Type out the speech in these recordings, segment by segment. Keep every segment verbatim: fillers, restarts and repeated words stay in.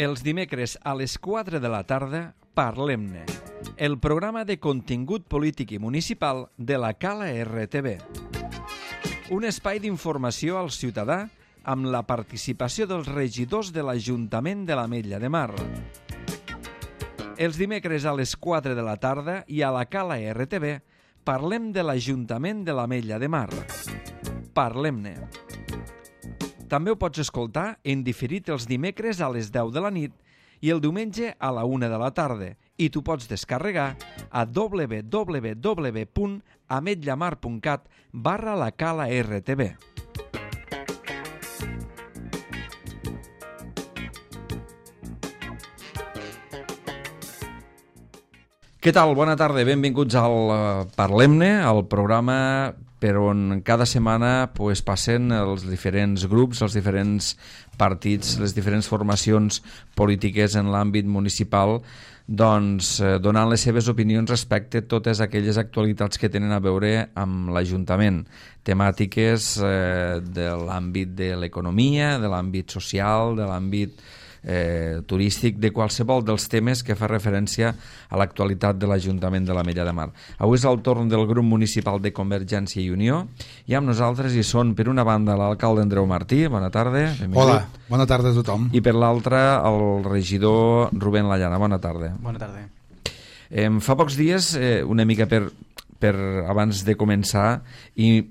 Els dimecres a les quatre de la tarda, Parlem-ne, el programa de contingut polític i municipal de la Cala R T V. Un espai d'informació al ciutadà amb la participació dels regidors de l'Ajuntament de l'Ametlla de Mar. Els dimecres a les quatre de la tarda i a la Cala R T V parlem de l'Ajuntament de l'Ametlla de Mar. Parlem-ne. També ho pots escoltar en diferit els dimecres a les deu de la nit i el diumenge a la una de la tarda i t'ho pots descarregar a w w w punt ametllamar punt cat barra la Cala R T V. Què tal? Bona tarda, benvinguts al Parlem-ne, al programa per on cada setmana pues, passen els diferents grups, els diferents partits, les diferents formacions polítiques en l'àmbit municipal, doncs, eh, donant les seves opinions respecte a totes aquelles actualitats que tenen a veure amb l'Ajuntament, temàtiques eh, de l'àmbit de l'economia, de l'àmbit social, de l'àmbit Eh, turístic, de qualsevol dels temes que fa referència a l'actualitat de l'Ajuntament de l'Ametlla de Mar. Avui és el torn del grup municipal de Convergència i Unió i amb nosaltres hi són per una banda l'alcalde Andreu Martí, bona tarda. Benvingut. Hola, bona tarda a tothom. I per l'altra el regidor Rubén Lallana, bona tarda. Bona tarda. Eh, fa pocs dies, eh, una mica per, per abans de començar, i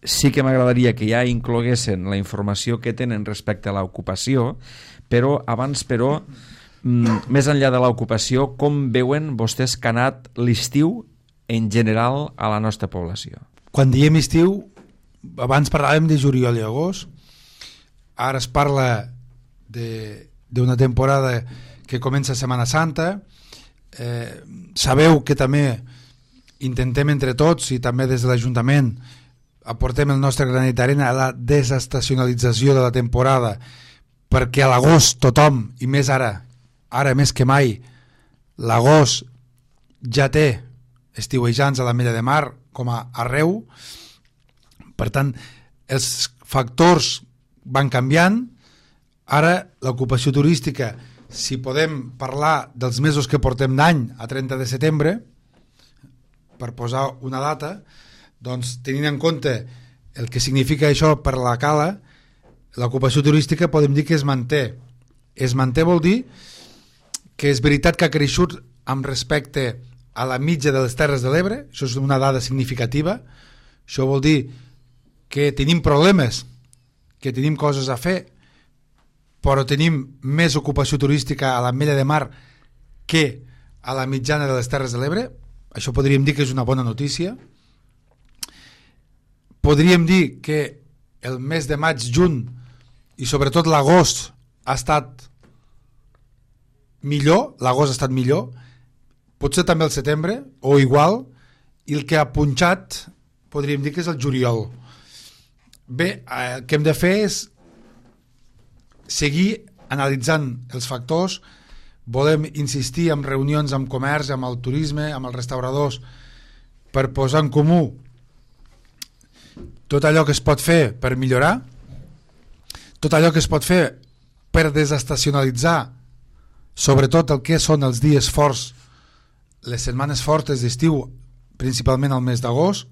sí que m'agradaria que ja incloguessin la informació que tenen respecte a l'ocupació, però abans, però, mm, més enllà de l'ocupació, com veuen vostès que ha anat l'estiu en general a la nostra població? Quan diem estiu, abans parlàvem de juliol i agost, ara es parla d'una temporada que comença Setmana Santa. Eh, sabeu que també intentem entre tots i també des de l'Ajuntament aportem el nostre granet d'arena a la desestacionalització de la temporada, perquè a l'agost tothom, i més ara, ara més que mai, l'agost ja té estiuejants a l'Ametlla de Mar com a arreu. Per tant, els factors van canviant. Ara l'ocupació turística, si podem parlar dels mesos que portem d'any a trenta de setembre, per posar una data, doncs tenint en compte el que significa això per la Cala, l'ocupació turística podem dir que es manté. Es manté vol dir que és veritat que ha creixut amb respecte a la mitja de les Terres de l'Ebre, això és una dada significativa. Això vol dir que tenim problemes, que tenim coses a fer, però tenim més ocupació turística a l'Ametlla de Mar que a la mitjana de les Terres de l'Ebre. Això podríem dir que és una bona notícia. Podríem dir que el mes de maig, juny i sobretot l'agost ha estat millor, l'agost ha estat millor, potser també el setembre, o igual, i el que ha punxat podríem dir que és el juliol. Bé, el que hem de fer és seguir analitzant els factors. Volem insistir en reunions amb comerç, amb el turisme, amb els restauradors, per posar en comú tot allò que es pot fer per millorar, tot allò que es pot fer per desestacionalitzar, sobretot el que són els dies forts, les setmanes fortes d'estiu, principalment al mes d'agost,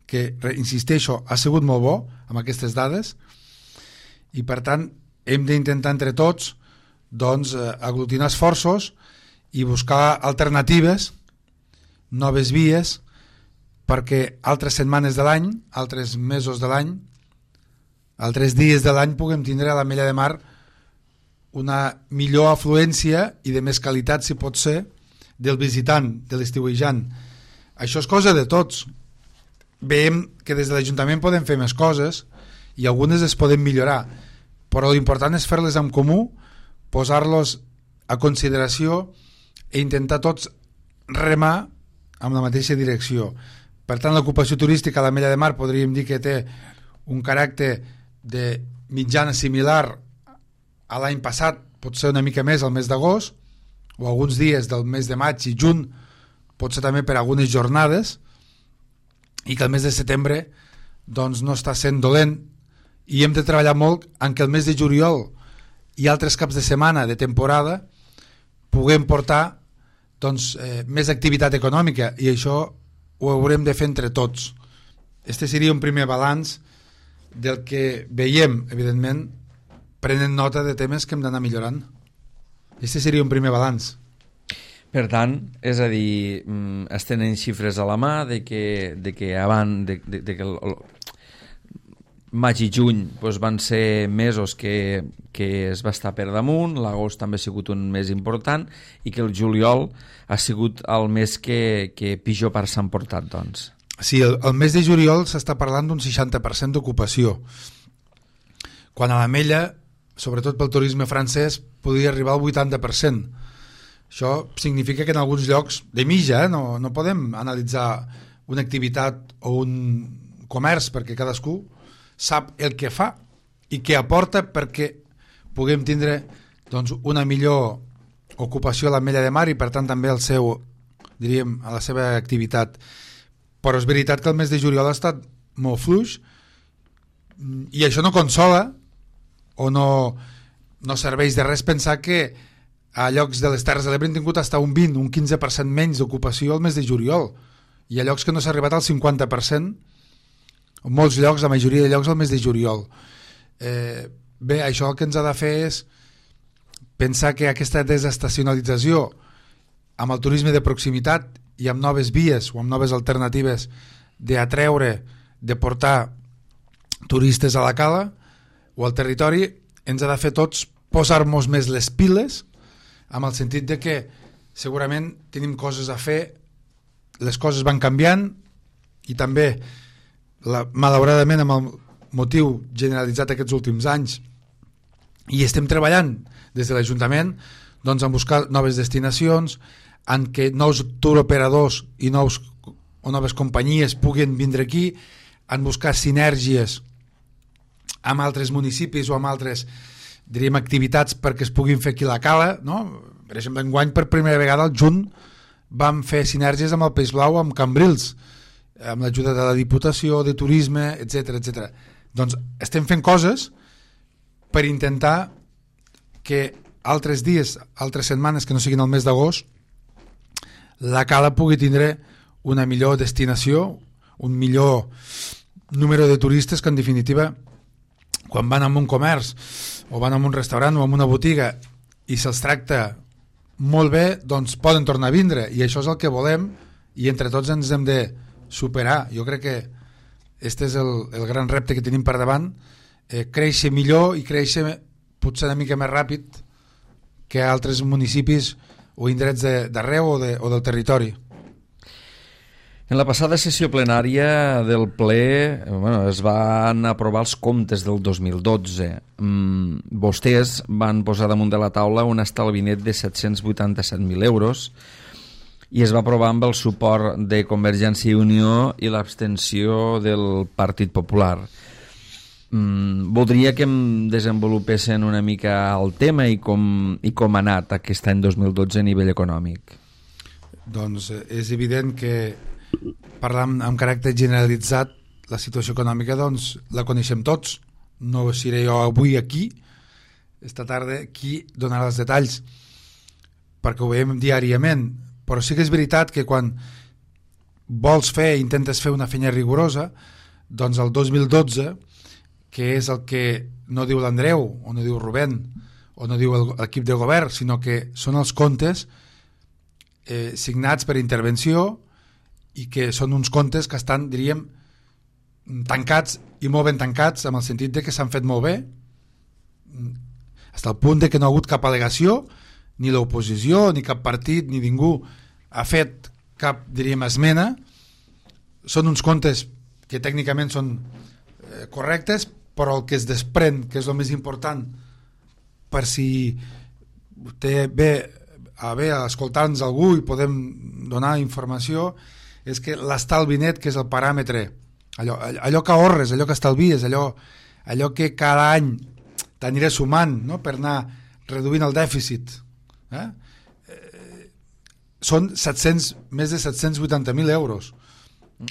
que, insisteixo, ha sigut molt bo amb aquestes dades, i per tant hem d'intentar entre tots doncs, aglutinar esforços i buscar alternatives, noves vies, perquè altres setmanes de l'any, altres mesos de l'any, altres dies de l'any puguem tindre a l'Ametlla de Mar una millor afluència i de més qualitat, si pot ser, del visitant, de l'estiuejant. Això és cosa de tots. Veiem que des de l'Ajuntament podem fer més coses i algunes es poden millorar, però l'important és fer-les en comú, posar-los a consideració i intentar tots remar amb la mateixa direcció. Per tant, l'ocupació turística a l'Ametlla de Mar podríem dir que té un caràcter de mitjana similar a l'any passat, pot ser una mica més al mes d'agost, o alguns dies del mes de maig i juny, pot ser també per algunes jornades, i que el mes de setembre doncs, no està sent dolent, i hem de treballar molt en que el mes de juliol i altres caps de setmana de temporada puguem portar doncs, eh, més activitat econòmica, i això ho haurem de fer entre tots. Este seria un primer balanç del que veiem, evidentment, prenent nota de temes que hem d'anar millorant. Este seria un primer balanç. Per tant, és a dir, es tenen xifres a la mà de que, de que abans de, de, de que el, el maig i juny doncs, van ser mesos que, que es va estar per damunt, l'agost també ha sigut un mes important i que el juliol ha sigut el mes que, que pitjor part s'han portat, doncs. Sí, el, el mes de juliol s'està parlant d'un seixanta per cent d'ocupació, quan a l'Ametlla, sobretot pel turisme francès, podria arribar al vuitanta per cent. Això significa que en alguns llocs de mitja, eh, no, no podem analitzar una activitat o un comerç, perquè cadascú sap el que fa i què aporta perquè puguem tindre doncs, una millor ocupació a l'Ametlla de Mar i per tant també el seu, diríem, a la seva activitat. Però és veritat que el mes de juliol ha estat molt fluix i això no consola o no, no serveix de res pensar que a llocs de les Terres de l'Ebre han tingut fins a un vint, un quinze per cent menys d'ocupació al mes de juliol, i a llocs que no s'ha arribat al cinquanta per cent, en molts llocs, la majoria de llocs al mes de juliol. Eh, bé, això el que ens ha de fer és pensar que aquesta desestacionalització amb el turisme de proximitat i amb noves vies o amb noves alternatives d'atreure, de portar turistes a la cala o al territori, ens ha de fer tots posar-nos més les piles, amb el sentit de que segurament tenim coses a fer, les coses van canviant i també la, malauradament amb el motiu generalitzat aquests últims anys, i estem treballant des de l'Ajuntament doncs, en buscar noves destinacions, en què nous touroperadors i nous, o noves companyies puguin vindre aquí, en buscar sinergies amb altres municipis o amb altres, diríem, activitats perquè es puguin fer aquí la cala, no? Per exemple, enguany per primera vegada al juny vam fer sinergies amb el Peix Blau, amb Cambrils, amb l'ajuda de la Diputació, de Turisme, etcètera, etcètera. Doncs estem fent coses per intentar que altres dies, altres setmanes que no siguin el mes d'agost, la cala pugui tindre una millor destinació, un millor número de turistes que en definitiva quan van a un comerç o van a un restaurant o a una botiga i se'ls tracta molt bé, doncs poden tornar a vindre, i això és el que volem i entre tots ens hem de superar. Jo crec que este és el, el gran repte que tenim per davant, eh, créixer millor i créixer potser una mica més ràpid que altres municipis o indrets d'arreu o, de, o del territori. En la passada sessió plenària del ple bueno, es van aprovar els comptes del dos mil dotze. Mm, vostès van posar damunt de la taula un estalvi net de set-cents vuitanta-set mil euros i es va aprovar amb el suport de Convergència i Unió i l'abstenció del Partit Popular. Mm, voldria que em desenvolupessin una mica el tema i com, i com ha anat aquest any dos mil dotze a nivell econòmic. Doncs és evident que parlant amb caràcter generalitzat, la situació econòmica doncs la coneixem tots, no seré jo avui aquí, esta tarda qui donarà els detalls perquè ho veiem diàriament, però sí que és veritat que quan vols fer, intentes fer una feina rigorosa, doncs el dos mil dotze, que és el que no diu l'Andreu o no diu Rubén o no diu l'equip de govern, sinó que són els comptes eh, signats per intervenció i que són uns comptes que estan, diríem, tancats i molt ben tancats, amb el sentit de que s'han fet molt bé, fins al punt de que no ha hagut cap al·legació, ni l'oposició, ni cap partit, ni ningú ha fet cap, diríem, esmena. Són uns comptes que tècnicament són eh, correctes, però el que es desprèn, que és el més important, per si té bé a bé escoltar-nos algú i podem donar informació, és que l'estalvi net, que és el paràmetre, allò, allò que ahorres, allò que estalvies, allò, allò que cada any t'aniré sumant, no?, per anar reduint el dèficit, eh? Eh, són set-cents, més de set-cents vuitanta mil euros.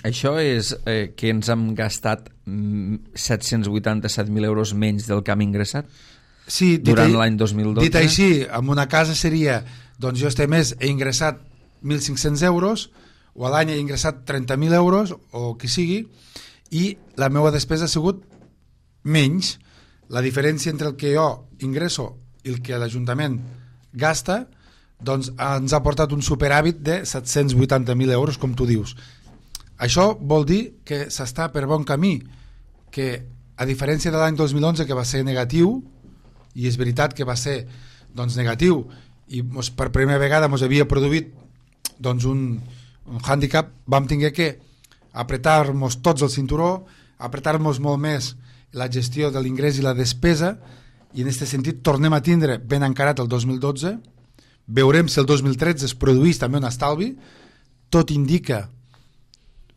Això és eh, que ens hem gastat set-cents vuitanta-set mil euros menys del que hem ingressat? sí, durant l'any dos mil dotze. Dit així, en una casa seria, doncs jo este mes he ingressat mil cinc-cents euros, o a l'any he ingressat trenta mil euros, o qui sigui, i la meva despesa ha sigut menys. La diferència entre el que jo ingresso i el que l'Ajuntament gasta, doncs ens ha portat un superàvit de set-cents vuitanta mil euros, com tu dius. Això vol dir que s'està per bon camí, que a diferència de l'any dos mil onze, que va ser negatiu, i és veritat que va ser doncs, negatiu, i mos, per primera vegada ens havia produït doncs, un, un hàndicap, vam tinguer que apretar-nos tots el cinturó, apretar-nos molt més la gestió de l'ingrés i la despesa, i en aquest sentit tornem a tindre ben encarat el dos mil dotze. Veurem si el dos mil tretze es produeix també un estalvi. Tot indica,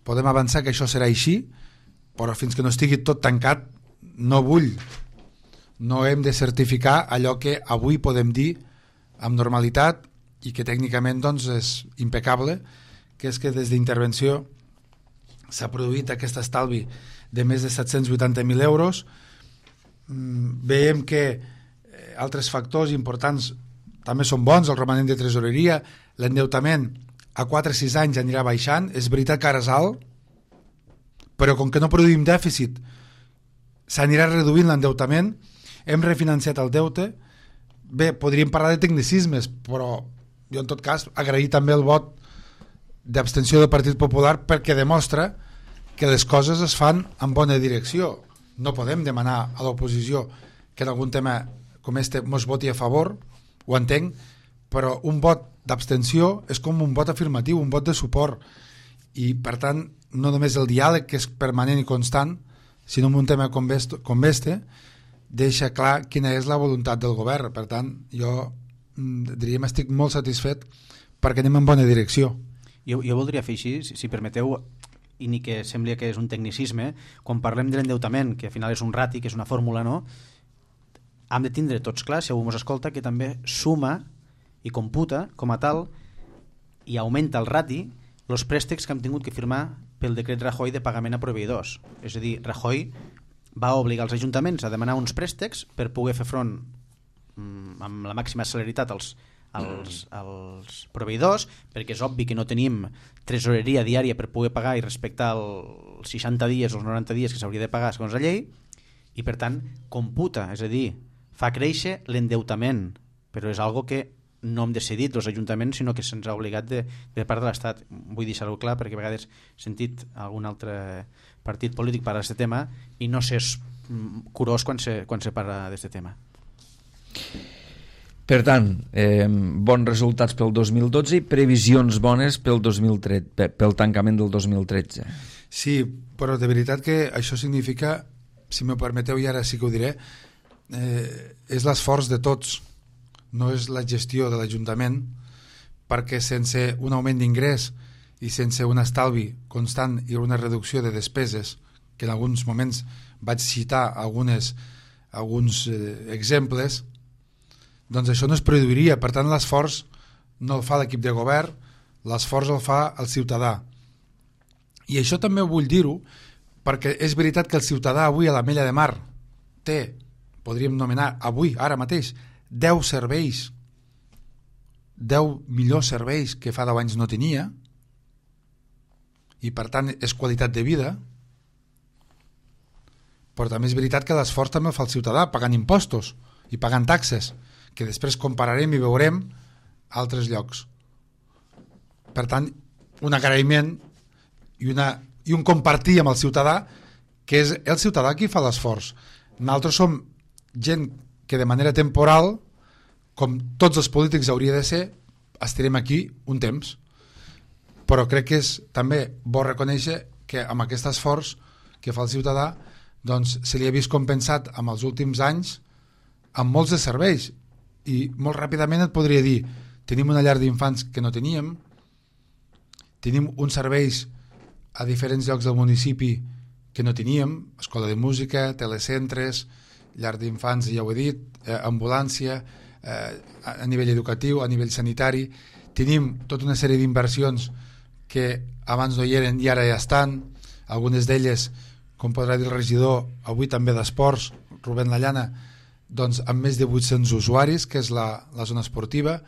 podem avançar que això serà així, però fins que no estigui tot tancat no vull, no hem de certificar allò que avui podem dir amb normalitat i que tècnicament doncs, és impecable, que és que des d'intervenció s'ha produït aquest estalvi de més de set-cents vuitanta mil euros. Veiem que altres factors importants també són bons, el romanent de tresoreria, l'endeutament a quatre a sis anys anirà baixant. És veritat que ara és alt, però com que no produïm dèficit s'anirà reduint l'endeutament. Hem refinanciat el deute. Bé, podríem parlar de tecnicismes, però jo en tot cas agrair també el vot d'abstenció del Partit Popular, perquè demostra que les coses es fan en bona direcció. No podem demanar a l'oposició que en algun tema com este mos voti a favor, ho entenc, però un vot d'abstenció és com un vot afirmatiu, un vot de suport, i per tant no només el diàleg, que és permanent i constant, sinó en un tema com este deixa clar quina és la voluntat del govern. Per tant, jo diríem estic molt satisfet perquè anem en bona direcció. Jo, jo voldria fer així, si, si permeteu, i ni que sembli que és un tecnicisme, quan parlem de l'endeutament, que al final és un rati, que és una fórmula, no? Hem de tindre tots clar, si algú ens escolta, que també suma i computa com a tal i augmenta el rati els préstecs que hem tingut que firmar pel decret Rajoy de pagament a proveïdors. És a dir, Rajoy va obligar els ajuntaments a demanar uns préstecs per poder fer front mm, amb la màxima celeritat als, als, als proveïdors, perquè és obvi que no tenim tresoreria diària per poder pagar i respectar els seixanta dies o els noranta dies que s'hauria de pagar segons la llei, i per tant computa, és a dir, fa créixer l'endeutament, però és algo que no hem decidit els ajuntaments, sinó que se'ns ha obligat de, de part de l'Estat. Vull deixar-ho clar perquè a vegades he sentit algun altre partit polític parlar d'aquest tema i no sé curós quan se, quan se parla d'aquest tema. Per tant, eh, bons resultats pel dos mil dotze i previsions bones pel, dos mil tretze, pel tancament del dos mil tretze. Sí, però de veritat que això significa, si m'ho permeteu i ara sí que ho diré, eh, és l'esforç de tots, no és la gestió de l'Ajuntament, perquè sense un augment d'ingrés i sense un estalvi constant i una reducció de despeses, que en alguns moments vaig citar algunes, alguns eh, exemples, doncs això no es produiria. Per tant, l'esforç no el fa l'equip de govern, l'esforç el fa el ciutadà. I això també vull dir-ho, perquè és veritat que el ciutadà avui a l'Ametlla de Mar té, podríem anomenar avui, ara mateix, deu serveis, deu millors serveis que fa deu anys no tenia, i per tant és qualitat de vida, però també és veritat que l'esforç també el fa el ciutadà, pagant impostos i pagant taxes, que després compararem i veurem altres llocs. Per tant, un agraïment i, una, i un compartir amb el ciutadà, que és el ciutadà qui fa l'esforç. Nosaltres som gent que de manera temporal, com tots els polítics hauria de ser, estarem aquí un temps. Però crec que és també bo reconèixer que amb aquest esforç que fa el ciutadà doncs, se li ha vist compensat amb els últims anys amb molts de serveis. I molt ràpidament et podria dir, tenim una llar d'infants que no teníem, tenim uns serveis a diferents llocs del municipi que no teníem, escola de música, telecentres, llar d'infants, ja ho he dit, eh, ambulància, eh, a nivell educatiu, a nivell sanitari. Tenim tota una sèrie d'inversions que abans no hi eren i ara ja estan, algunes d'elles, com podrà dir el regidor, avui també d'esports, Rubén Lallana, doncs, amb més de vuit-cents usuaris, que és la, la zona esportiva.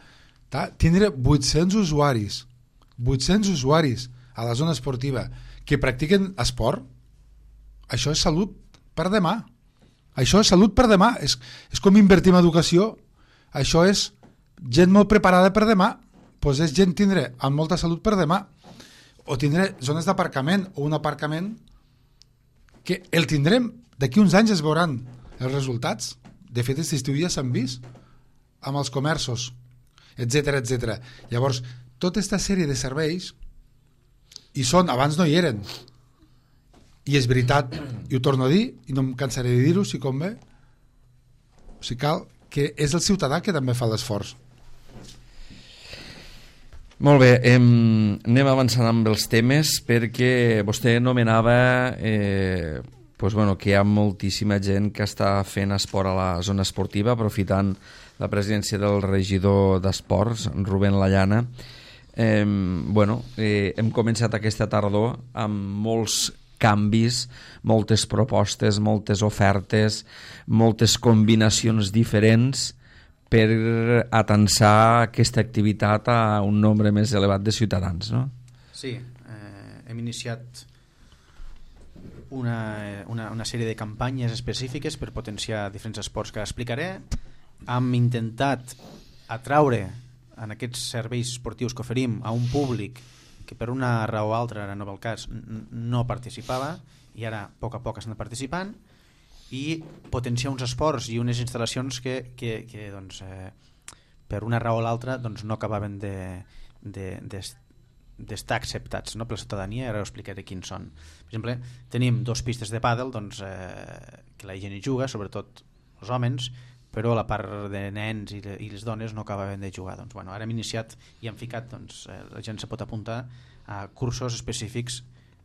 Ta? Tindre vuit-cents usuaris, vuit-cents usuaris a la zona esportiva que practiquen esport, això és salut per demà. Això és salut per demà. És, és com invertir en educació. Això és gent molt preparada per demà. Pues és gent tindre amb molta salut per demà. O tindre zones d'aparcament o un aparcament que el tindrem. D'aquí uns anys es veuran els resultats. De fet, aquest estiu ja s'han vist amb els comerços, etcètera, etcètera. Llavors, tota aquesta sèrie de serveis hi són, abans no hi eren. I és veritat, i ho torno a dir, i no em cansaré de dir-ho si convé, o sigui, cal que és el ciutadà que també fa l'esforç. Molt bé, em, anem avançant amb els temes, perquè vostè nomenava eh, pues bueno, que hi ha moltíssima gent que està fent esport a la zona esportiva, aprofitant la presidència del regidor d'Esports, Rubén Lallana. Eh, bueno, eh, hem començat aquesta tardor amb molts canvis, moltes propostes, moltes ofertes, moltes combinacions diferents per atansar aquesta activitat a un nombre més elevat de ciutadans, no? Sí, eh, hem iniciat una, una, una sèrie de campanyes específiques per potenciar diferents esports que explicaré. Hem intentat atraure en aquests serveis esportius que oferim a un públic que per una raó o altra, ara no va el cas, no participava, i ara a poc a poc estan participant, i potenciar uns esports i unes instal·lacions que, que, que doncs, eh, per una raó o l'altra doncs, no acabaven de, de, de, d'estar acceptats, no, per la ciutadania. Ara ho explicaré quins són. Per exemple, tenim dos pistes de pàdel, doncs, eh, que la gent hi juga, sobretot els homes, però la part de nens i, i les dones no acabaven de jugar. Doncs, bueno, ara hem iniciat i hem ficat, doncs, eh, la gent se pot apuntar a cursos específics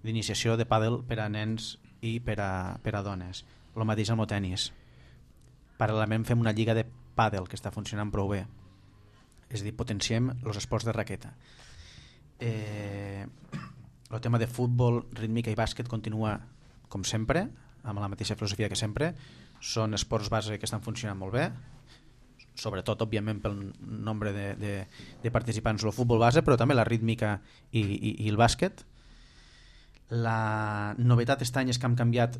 d'iniciació de pàdel per a nens i per a, per a dones. El mateix amb el tenis. Paral·lelament fem una lliga de pàdel que està funcionant prou bé. És a dir, potenciem els esports de raqueta. Eh, el tema de futbol, rítmica i bàsquet continua com sempre, amb la mateixa filosofia que sempre. Són esports base que estan funcionant molt bé, sobretot, òbviament, pel nombre de, de, de participants del futbol base, però també la rítmica i, i, i el bàsquet. La novetat aquest any és que hem canviat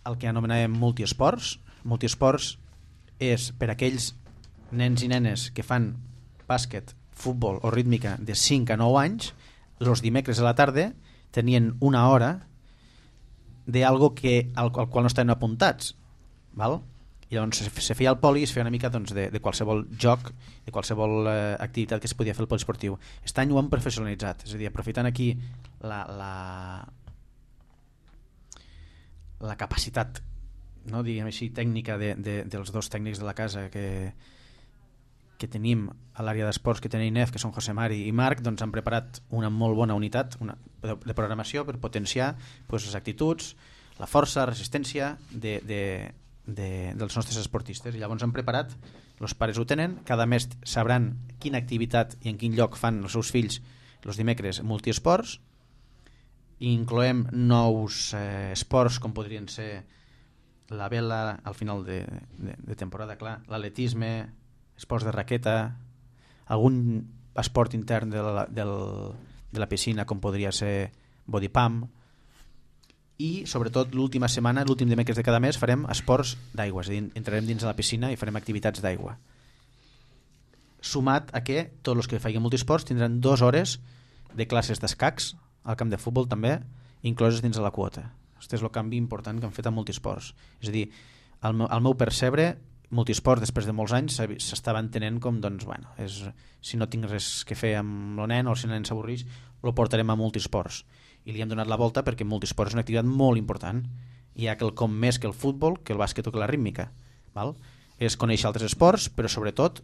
el que anomenàvem multiesports. Multiesports és per aquells nens i nenes que fan bàsquet, futbol o rítmica de cinc a nou anys, els dimecres a la tarda tenien una hora d'algo que, al, al qual no estaven apuntats, val? I llavors se, se feia el poli i es feia una mica, doncs, de, de qualsevol joc, de qualsevol eh, activitat que es podia fer al poliesportiu. Aquest any ho hem professionalitzat, és a dir, aprofitant aquí la, la, la capacitat, no, diguem així, tècnica de, de, dels dos tècnics de la casa que, que tenim a l'àrea d'esports, que tenim I N E F, que són José Mari i Marc, doncs han preparat una molt bona unitat una, de, de programació per potenciar, doncs, les actituds, la força, la resistència de, de, de, dels nostres esportistes. I llavors han preparat, els pares ho tenen, cada mes sabran quina activitat i en quin lloc fan els seus fills els dimecres multiesports, i incloem nous eh, esports com podrien ser la vela al final de, de, de temporada, clar, l'atletisme, esports de raqueta, algun esport intern de la, del, de la piscina com podria ser body pump, i sobretot l'última setmana, l'últim dimecres de cada mes farem esports d'aigua, és a dir, entrarem dins de la piscina i farem activitats d'aigua, sumat a que tots els que facin multiesports tindran dues hores de classes d'escacs al camp de futbol també, incloses dins de la quota. Aquest és el canvi important que han fet amb multiesports. És a dir, al meu, al meu percebre, multiesports després de molts anys s'estava entenent com, doncs, bueno, és, si no tinc res que fer amb el nen o si el nen s'avorreix, el portarem a multiesports. I li hem donat la volta perquè multiesports és una activitat molt important. Hi ha quelcom més que el futbol, que el bàsquet o que la rítmica. Val? És conèixer altres esports, però sobretot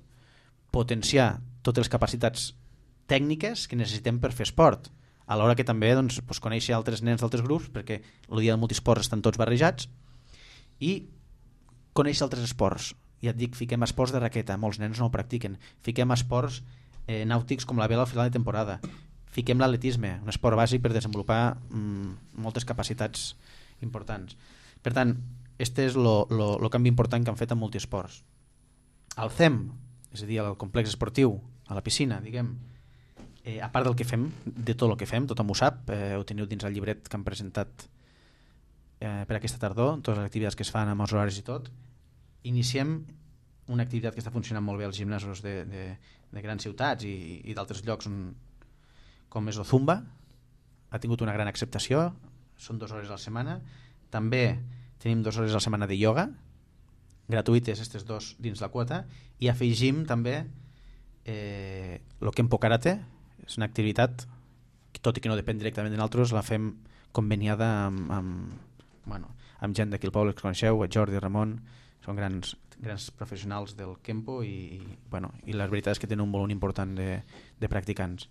potenciar totes les capacitats tècniques que necessitem per fer esport. Alhora que també, doncs, doncs, conèixer altres nens d'altres grups, perquè el dia del multiesports estan tots barrejats, i conèixer altres esports. Ja et dic, fiquem esports de raqueta, molts nens no ho practiquen. Fiquem esports eh, nàutics com la vela al final de temporada. Fiquem l'atletisme, un esport bàsic per desenvolupar mm, moltes capacitats importants. Per tant, este és el canvi important que han fet en multiesports. Al C E M, és a dir, al complex esportiu, a la piscina, diguem, eh, a part del que fem, de tot el que fem, tothom ho sap, eh, ho teniu dins el llibret que han presentat eh, per aquesta tardor, totes les activitats que es fan amb els horaris i tot, iniciem una activitat que està funcionant molt bé als gimnasos de, de, de grans ciutats i, i d'altres llocs on, com és el Zumba, ha tingut una gran acceptació, són dues hores a la setmana, també tenim dues hores a la setmana de ioga, gratuïtes aquestes dos dins la quota, i afegim també eh, el Kempo Karate, és una activitat que, tot i que no depèn directament de nosaltres, la fem conveniada amb, amb, bueno, amb gent d'aquí al poble que coneixeu, Jordi, Ramon, són grans, grans professionals del Kempo i, i, bueno, i la veritat és que tenen un volum important de, de practicants.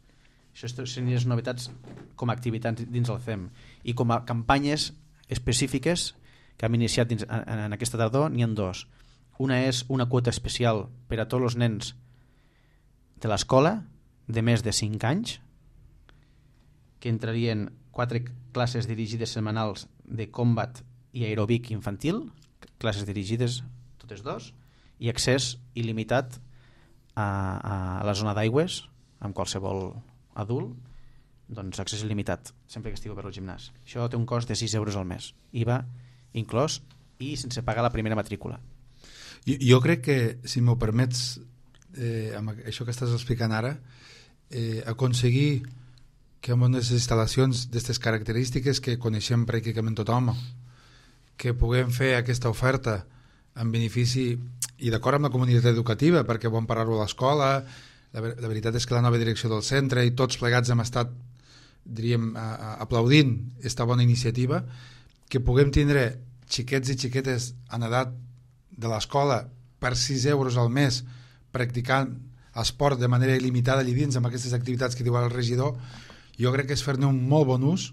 Això són les novetats com a activitats dins el C E M, i com a campanyes específiques que hem iniciat dins, en, en aquesta tardor n'hi ha dos. Una és una quota especial per a tots els nens de l'escola de més de cinc anys, que entrarien quatre classes dirigides setmanals de combat i aeròbic infantil, classes dirigides totes dos, i accés il·limitat a, a la zona d'aigües amb qualsevol adult, doncs accés il·limitat sempre que estigui per al gimnàs. Això té un cost de sis euros al mes, I V A inclòs i sense pagar la primera matrícula. Jo, jo crec que, si m'ho permets, eh, amb això que estàs explicant ara, eh, aconseguir que amb unes instal·lacions d'aquestes característiques que coneixem pràcticament tothom, que puguem fer aquesta oferta en benefici i d'acord amb la comunitat educativa, perquè vam parar-ho a l'escola. La, la veritat és que la nova direcció del centre i tots plegats hem estat, diríem, a, a, aplaudint aquesta bona iniciativa, que puguem tindre xiquets i xiquetes en edat de l'escola per sis euros al mes practicant esport de manera il·limitada allà dins amb aquestes activitats que diu el regidor. Jo crec que és fer-ne un molt bon ús.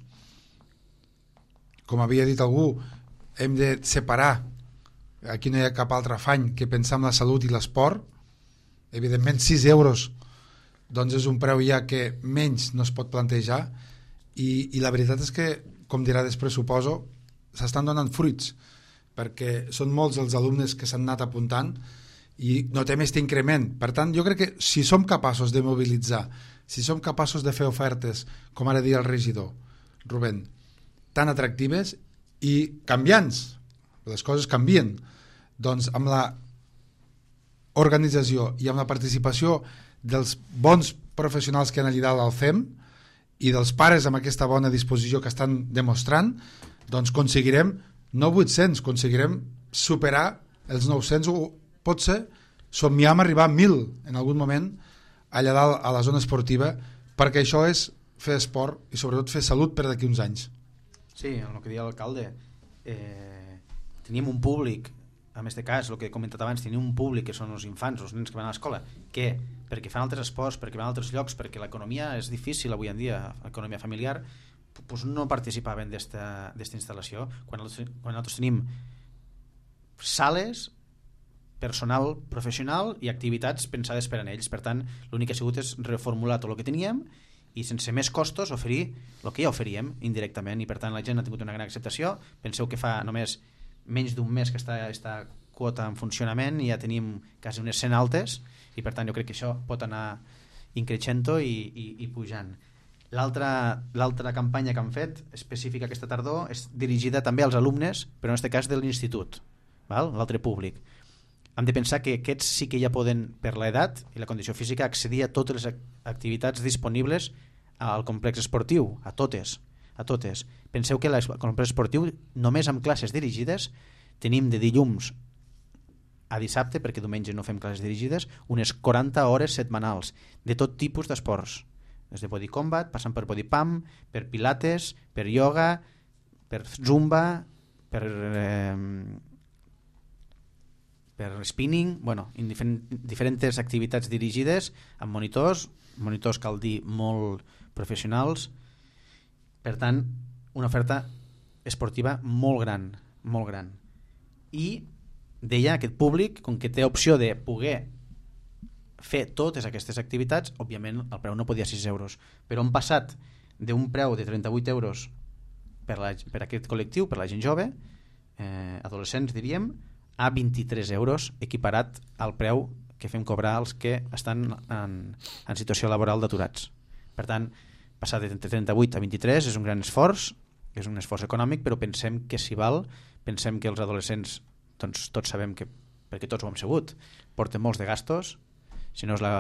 Com havia dit algú, hem de separar, aquí no hi ha cap altre afany que pensar en la salut i l'esport. Evidentment sis euros doncs és un preu ja que menys no es pot plantejar, i, i la veritat és que, com dirà després suposo, s'estan donant fruits, perquè són molts els alumnes que s'han anat apuntant i notem aquest increment. Per tant, jo crec que si som capaços de mobilitzar, si som capaços de fer ofertes, com ara dia el regidor Rubén, tan atractives i canviants, les coses canvien, doncs amb la organització i amb la participació dels bons professionals que han allà dalt al C E M i dels pares amb aquesta bona disposició que estan demostrant, doncs aconseguirem no vuit-cents, aconseguirem superar els nou-cents, o potser somniar amb arribar a mil en algun moment allà dalt a la zona esportiva, perquè això és fer esport i sobretot fer salut per d'aquí uns anys. Sí, en el que deia l'alcalde, eh, tenim un públic, en aquest cas, el que he comentat abans, tenim un públic que són els infants, els nens que van a l'escola, que perquè fan altres esports, perquè van a altres llocs, perquè l'economia és difícil avui en dia, l'economia familiar, doncs no participaven d'esta instal·lació. Quan nosaltres, quan nosaltres tenim sales, personal professional i activitats pensades per a ells. Per tant, l'únic que ha sigut és reformular tot el que teníem i sense més costos oferir el que ja oferíem indirectament, i per tant la gent ha tingut una gran acceptació. Penseu que fa només menys d'un mes que està aquesta quota en funcionament i ja tenim quasi unes cent altes, i per tant jo crec que això pot anar increixendo i, i, i pujant. L'altra l'altra campanya que han fet específica aquesta tardor és dirigida també als alumnes, però en aquest cas de l'institut, l'altre públic. Hem de pensar que aquests sí que ja poden, per l'edat i la condició física, accedir a totes les activitats disponibles al complex esportiu, a totes, a totes. Penseu que al complex esportiu, només amb classes dirigides, tenim de dilluns a dissabte, perquè diumenge no fem classes dirigides, unes quaranta hores setmanals de tot tipus d'esports, des de body combat, passant per body pump, per pilates, per yoga, per zumba, per... Eh, per spinning, bueno, en diferent, diferents activitats dirigides amb monitors, monitors cal dir molt professionals. Per tant, una oferta esportiva molt gran, molt gran. I deia, aquest públic, com que té opció de poder fer totes aquestes activitats, òbviament el preu no podia ser sis euros, però hem passat d'un preu de trenta-vuit euros per, la, per aquest col·lectiu, per la gent jove, eh, adolescents, diríem, a vint-i-tres euros, equiparat al preu que fem cobrar als que estan en, en situació laboral d'aturats. Per tant, passar de trenta-vuit a vint-i-tres és un gran esforç, és un esforç econòmic, però pensem que s'hi val, pensem que els adolescents, doncs tots sabem que, perquè tots ho hem sabut, porten molts de gastos, si no és la,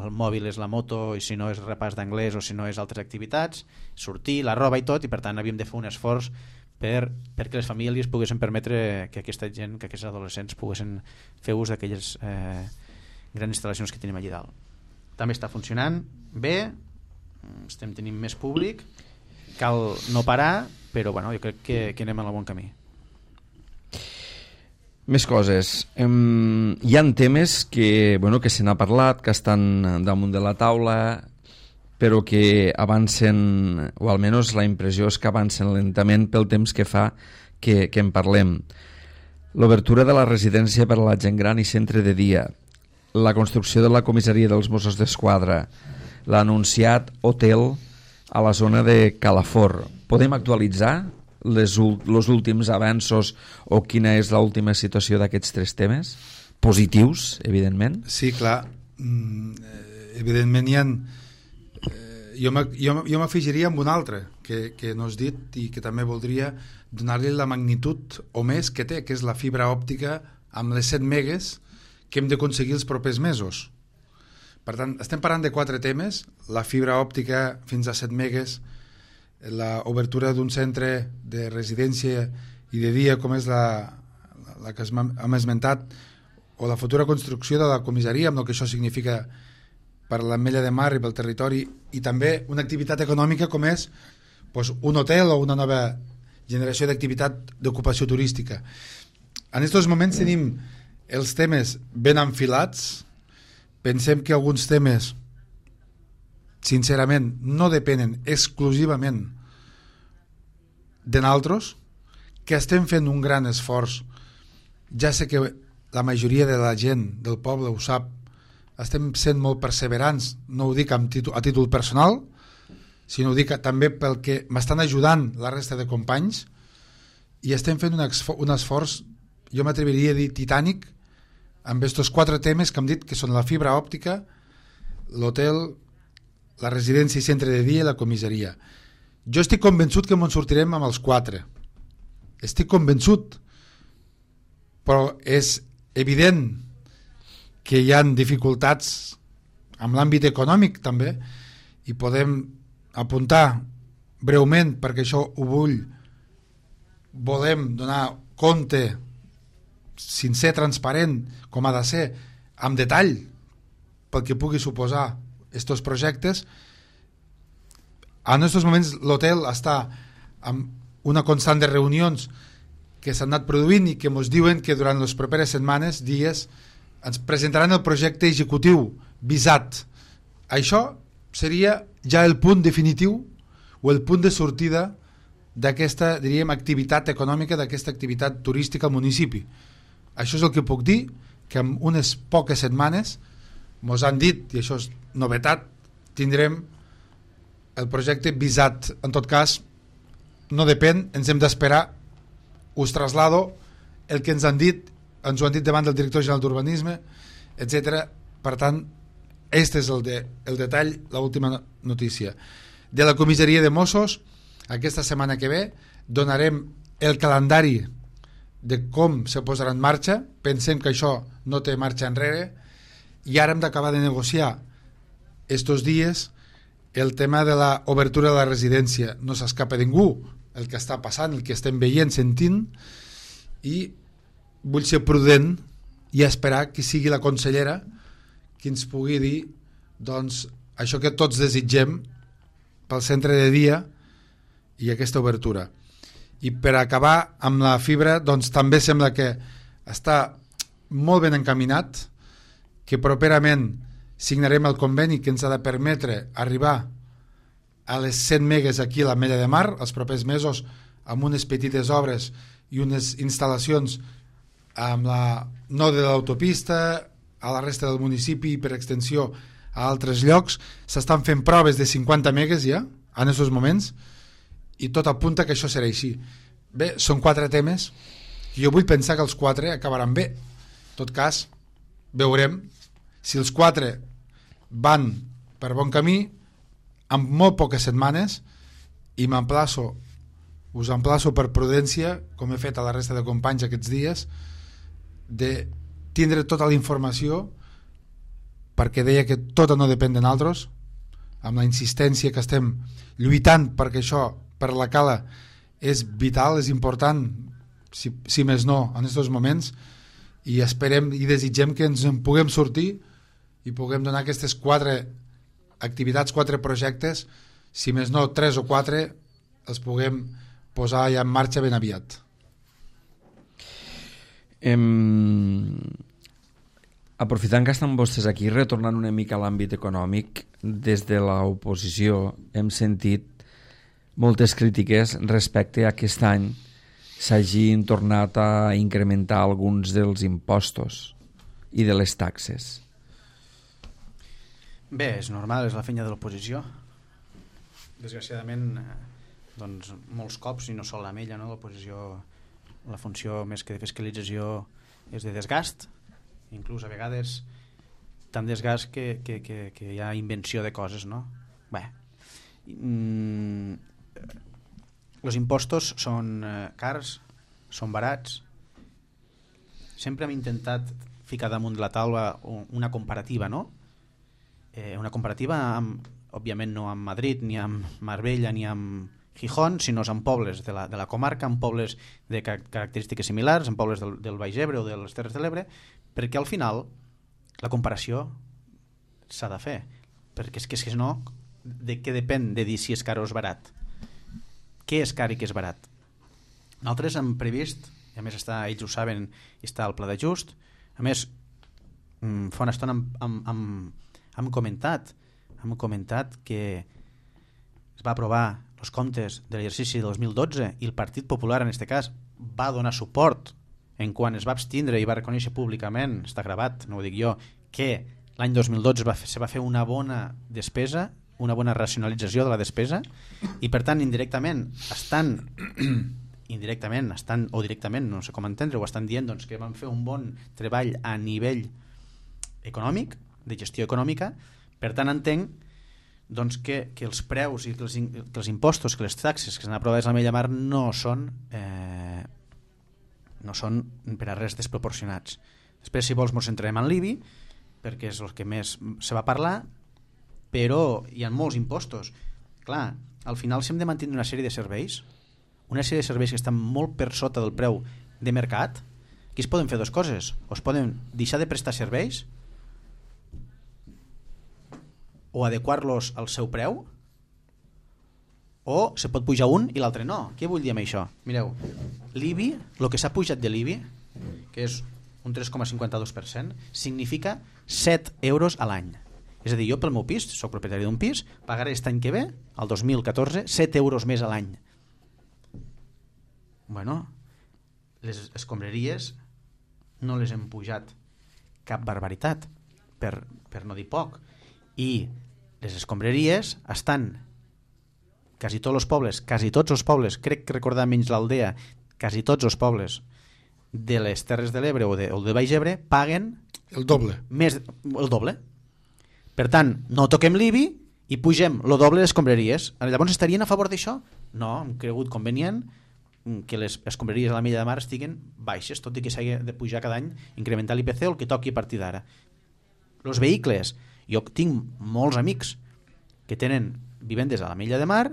el mòbil és la moto, i si no és repàs d'anglès o si no és altres activitats, sortir, la roba i tot, i per tant havíem de fer un esforç per, perquè les famílies poguessin permetre que aquesta gent, que aquests adolescents poguessin fer ús d'aquelles eh, grans instal·lacions que tenim allà dalt. També està funcionant bé, estem tenint més públic, cal no parar, però bueno, jo crec que, que anem en el bon camí. Més coses. Um, hi ha temes que, bueno, que se n'ha parlat, que estan damunt de la taula, però que avancen, o almenys la impressió és que avancen lentament pel temps que fa que, que en parlem. L'obertura de la residència per a la gent gran i centre de dia, la construcció de la comissaria dels Mossos d'Esquadra, l'anunciat hotel a la zona de Calafort. Podem actualitzar les, els últims avanços o quina és l'última situació d'aquests tres temes? Positius, evidentment. Sí, clar. Mm, evidentment hi ha... Jo m'afegiria amb un altre que, que no has dit i que també voldria donar-li la magnitud o més que té, que és la fibra òptica amb les set megues que hem d'aconseguir els propers mesos. Per tant, estem parlant de quatre temes: la fibra òptica fins a set megues, l'obertura d'un centre de residència i de dia com és la, la que hem esmentat, o la futura construcció de la comissaria amb el que això significa per l'Ametlla de Mar i pel territori, i també una activitat econòmica com és doncs, un hotel o una nova generació d'activitat d'ocupació turística. En aquests moments tenim els temes ben enfilats. Pensem que alguns temes sincerament no depenen exclusivament de nosaltres, que estem fent un gran esforç. Ja sé que la majoria de la gent del poble ho sap, estem sent molt perseverants, no ho dic amb títol, a títol personal, sinó ho dic també pel que m'estan ajudant la resta de companys, i estem fent un, un esforç, jo m'atreviria a dir titànic, amb aquests quatre temes que hem dit, que són la fibra òptica, l'hotel, la residència i centre de dia i la comissaria. Jo estic convençut que ens sortirem amb els quatre. Estic convençut, però és evident que hi ha dificultats amb l'àmbit econòmic també, i podem apuntar breument, perquè això ho vull, volem donar compte sincer, transparent, com ha de ser, amb detall, pel que pugui suposar aquests projectes. En aquests moments l'hotel està amb una constant de reunions que s'han anat produint i que ens diuen que durant les properes setmanes, dies, ens presentaran el projecte executiu visat. Això seria ja el punt definitiu o el punt de sortida d'aquesta, diríem, activitat econòmica, d'aquesta activitat turística al municipi. Això és el que puc dir, que en unes poques setmanes mos han dit, i això és novetat, tindrem el projecte visat. En tot cas, no depèn, ens hem d'esperar, us traslado el que ens han dit, ens ho han dit davant del director general d'urbanisme, etcètera. Per tant, aquest és el, de, el detall, l'última notícia. De la comissaria de Mossos, aquesta setmana que ve donarem el calendari de com se posarà en marxa. Pensem que això no té marxa enrere, i ara hem d'acabar de negociar estos dies el tema de l'obertura de la residència. No s'escapa ningú el que està passant, el que estem veient, sentint, i vull ser prudent i esperar que sigui la consellera qui ens pugui dir doncs, això que tots desitgem pel centre de dia i aquesta obertura. I per acabar amb la fibra, doncs també sembla que està molt ben encaminat, que properament signarem el conveni que ens ha de permetre arribar a les cent megues aquí a l'Ametlla de Mar els propers mesos, amb unes petites obres i unes instal·lacions amb la, no de l'autopista, a la resta del municipi i per extensió a altres llocs. S'estan fent proves de cinquanta megues ja, en aquests moments, i tot apunta que això serà així. Bé, són quatre temes Jo vull pensar que els quatre acabaran bé. En tot cas, veurem si els quatre van per bon camí en molt poques setmanes, i m'emplaço us emplaço per prudència, com he fet a la resta de companys aquests dies, de tindre tota la informació, perquè deia que tot no depèn de nosaltres, amb la insistència que estem lluitant perquè això per la cala és vital, és important, si, si més no en aquests moments, i esperem i desitgem que ens en puguem sortir i puguem donar aquestes quatre activitats, quatre projectes, si més no tres o quatre, els puguem posar ja en marxa ben aviat. Em... Aprofitant que estan vostès aquí, retornant una mica a l'àmbit econòmic, des de l'oposició hem sentit moltes crítiques respecte a aquest any s'hagin tornat a incrementar alguns dels impostos i de les taxes. Bé, és normal, és la feina de l'oposició. Desgraciadament, doncs, molts cops, i no sol amb ella, no? L'oposició, la funció més que de fiscalització és de desgast, inclús a vegades tant desgast que, que, que, que hi ha invenció de coses, no? Bé, mm, els impostos són cars, són barats. Sempre hem intentat ficar damunt de la taula una comparativa, no? Eh, una comparativa amb, òbviament no amb Madrid, ni amb Marbella, ni amb Gijón, sinó amb pobles de la, de la comarca, amb pobles de característiques similars, amb pobles del, del Baix Ebre o de les Terres de l'Ebre, perquè al final la comparació s'ha de fer, perquè és que, és que no, de què depèn de dir si és car o és barat? Què és car i què és barat? Nosaltres hem previst, i a més està, ells ho saben, està al pla d'ajust, a més fa una estona hem, hem, hem, hem comentat hem comentat que es va aprovar els comptes de l'exercici del dos mil dotze i el Partit Popular en aquest cas va donar suport en quan es va abstindre i va reconèixer públicament, està gravat, no ho dic jo, que l'any dos mil dotze va fer, se va fer una bona despesa, una bona racionalització de la despesa, i per tant indirectament estan indirectament estan, o directament, no sé com entendre, ho estan dient doncs, que van fer un bon treball a nivell econòmic, de gestió econòmica. Per tant entenc doncs, que, que els preus i que els, que els impostos, que les taxes que s'han aprovat a l'Ametlla de Mar no són eh, no són per a res desproporcionats. Després, si vols, ens centrarem en l'I B I, perquè és el que més se va parlar, però hi ha molts impostos. Clar, al final si hem de mantenir una sèrie de serveis, una sèrie de serveis que estan molt per sota del preu de mercat, aquí es poden fer dues coses. O es poden deixar de prestar serveis o adequar-los al seu preu, o se pot pujar un i l'altre no. Què vull dir amb això? Mireu, l'I B I, el que s'ha pujat de l'I B I, que és un tres coma cinquanta-dos per cent, significa set euros a l'any. És a dir, jo pel meu pis, soc propietari d'un pis, pagaré aquest any que ve, el dos mil catorze, set euros més a l'any. Bueno, les escombraries no les hem pujat cap barbaritat, per, per no dir poc. I les escombraries estan quasi tots els pobles, quasi tots els pobles, crec que recordar menys l'Aldea, quasi tots els pobles de les Terres de l'Ebre o de, o de Baix Ebre paguen el doble. Més, el doble. Per tant, no toquem l'I B I i pugem el doble d'escombraries. Llavors estarien a favor d'això? No, hem cregut convenient que les escombraries a l'Ametlla de Mar estiguen baixes, tot i que s'hagi de pujar cada any, incrementar l'I P C o el que toqui a partir d'ara. Els vehicles, jo tinc molts amics que tenen vivendes a l'Ametlla de Mar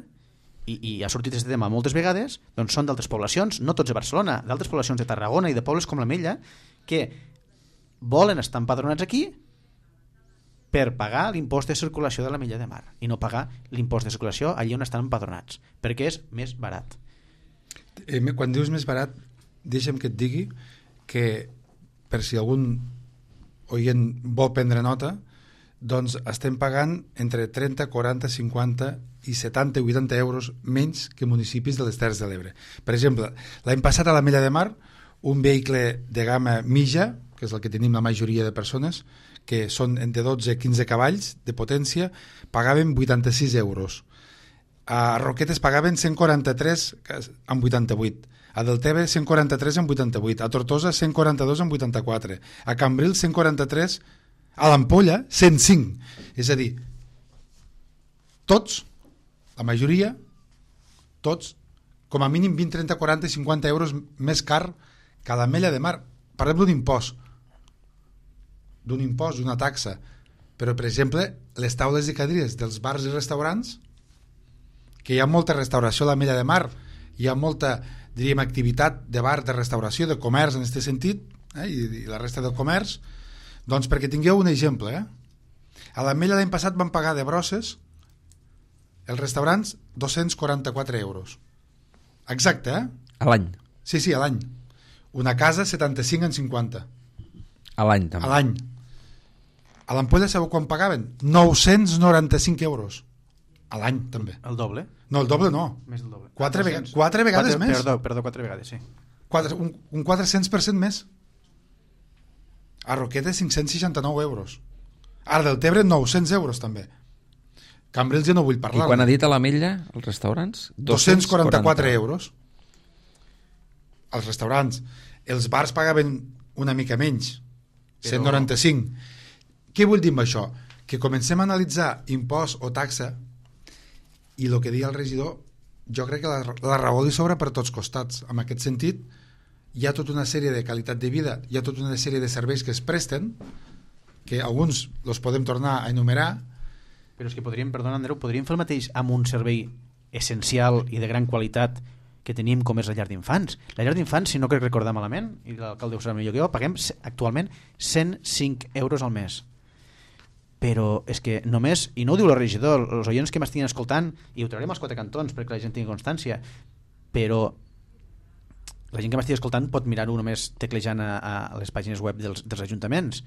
i, i ha sortit aquest tema moltes vegades, doncs són d'altres poblacions, no tots de Barcelona, d'altres poblacions de Tarragona i de pobles com l'Ametlla, que volen estar empadronats aquí per pagar l'impost de circulació de l'Ametlla de Mar i no pagar l'impost de circulació allí on estan empadronats, perquè és més barat. Eh, quan dius més barat, deixa'm que et digui que, per si algun oient vol prendre nota, doncs estem pagant entre trenta, quaranta, cinquanta i setanta i vuitanta euros menys que municipis de les Terres de l'Ebre. Per exemple, l'any passat a l'Ametlla de Mar, un vehicle de gamma mitja, que és el que tenim la majoria de persones, que són entre dotze i quinze cavalls de potència, pagaven vuitanta-sis euros. A Roquetes pagaven cent quaranta-tres amb vuitanta-vuit. a Deltebre cent quaranta-tres coma vuitanta-vuit, a Tortosa cent quaranta-dos coma vuitanta-quatre, a Cambrils cent quaranta-tres, a l'Ampolla cent cinc. És a dir, tots, la majoria, tots, com a mínim vint, trenta, quaranta, cinquanta euros més car que a l'Ametlla de Mar. Parlem d'un impost, d'un impost, d'una taxa, però per exemple les taules i cadires dels bars i restaurants, que hi ha molta restauració a l'Ametlla de Mar, hi ha molta, diríem, activitat de bar, de restauració, de comerç en aquest sentit, eh, i, i la resta del comerç, doncs perquè tingueu un exemple, eh? A l'Ametlla l'any passat van pagar de brosses els restaurants dos-cents quaranta-quatre euros. Exacte, eh? A l'any? Sí, sí, a l'any. Una casa setanta-cinc en cinquanta. A l'any també? A l'any. A l'Ampolla sabeu quan pagaven? nou-cents noranta-cinc euros. A l'any també. El doble? No, el doble no. Més del doble. Quatre, vega quatre vegades quatre, més. Perdó, perdó, quatre vegades, sí. Quatre, un, un quatre-cents per cent més. A Roquetes cinc-cents seixanta-nou euros. A Deltebre nou-cents euros també. Cambrils ja no vull parlar. I quan ha dit a l'Ametlla, els restaurants? dos-cents quaranta-quatre euros. Els restaurants. Els bars pagaven una mica menys, però... cent noranta-cinc. Què vull dir amb això? Que comencem a analitzar impost o taxa i el que deia el regidor, jo crec que la, la raó li sobra per tots costats. En aquest sentit, hi ha tota una sèrie de qualitat de vida, hi ha tota una sèrie de serveis que es presten, que alguns els podem tornar a enumerar. Però és que podríem, perdona Andreu, podríem fer el mateix amb un servei essencial i de gran qualitat que tenim com és la llar d'infants. La llar d'infants, si no crec recordar malament, i l'alcalde ho sabrà millor que jo, paguem actualment cent cinc euros al mes. Però és que només, i no ho diu el regidor, els oients que m'estiguin escoltant, i ho traurem als quatre cantons perquè la gent tingui constància, però la gent que m'estigui escoltant pot mirar-ho només teclejant a, a les pàgines web dels, dels ajuntaments.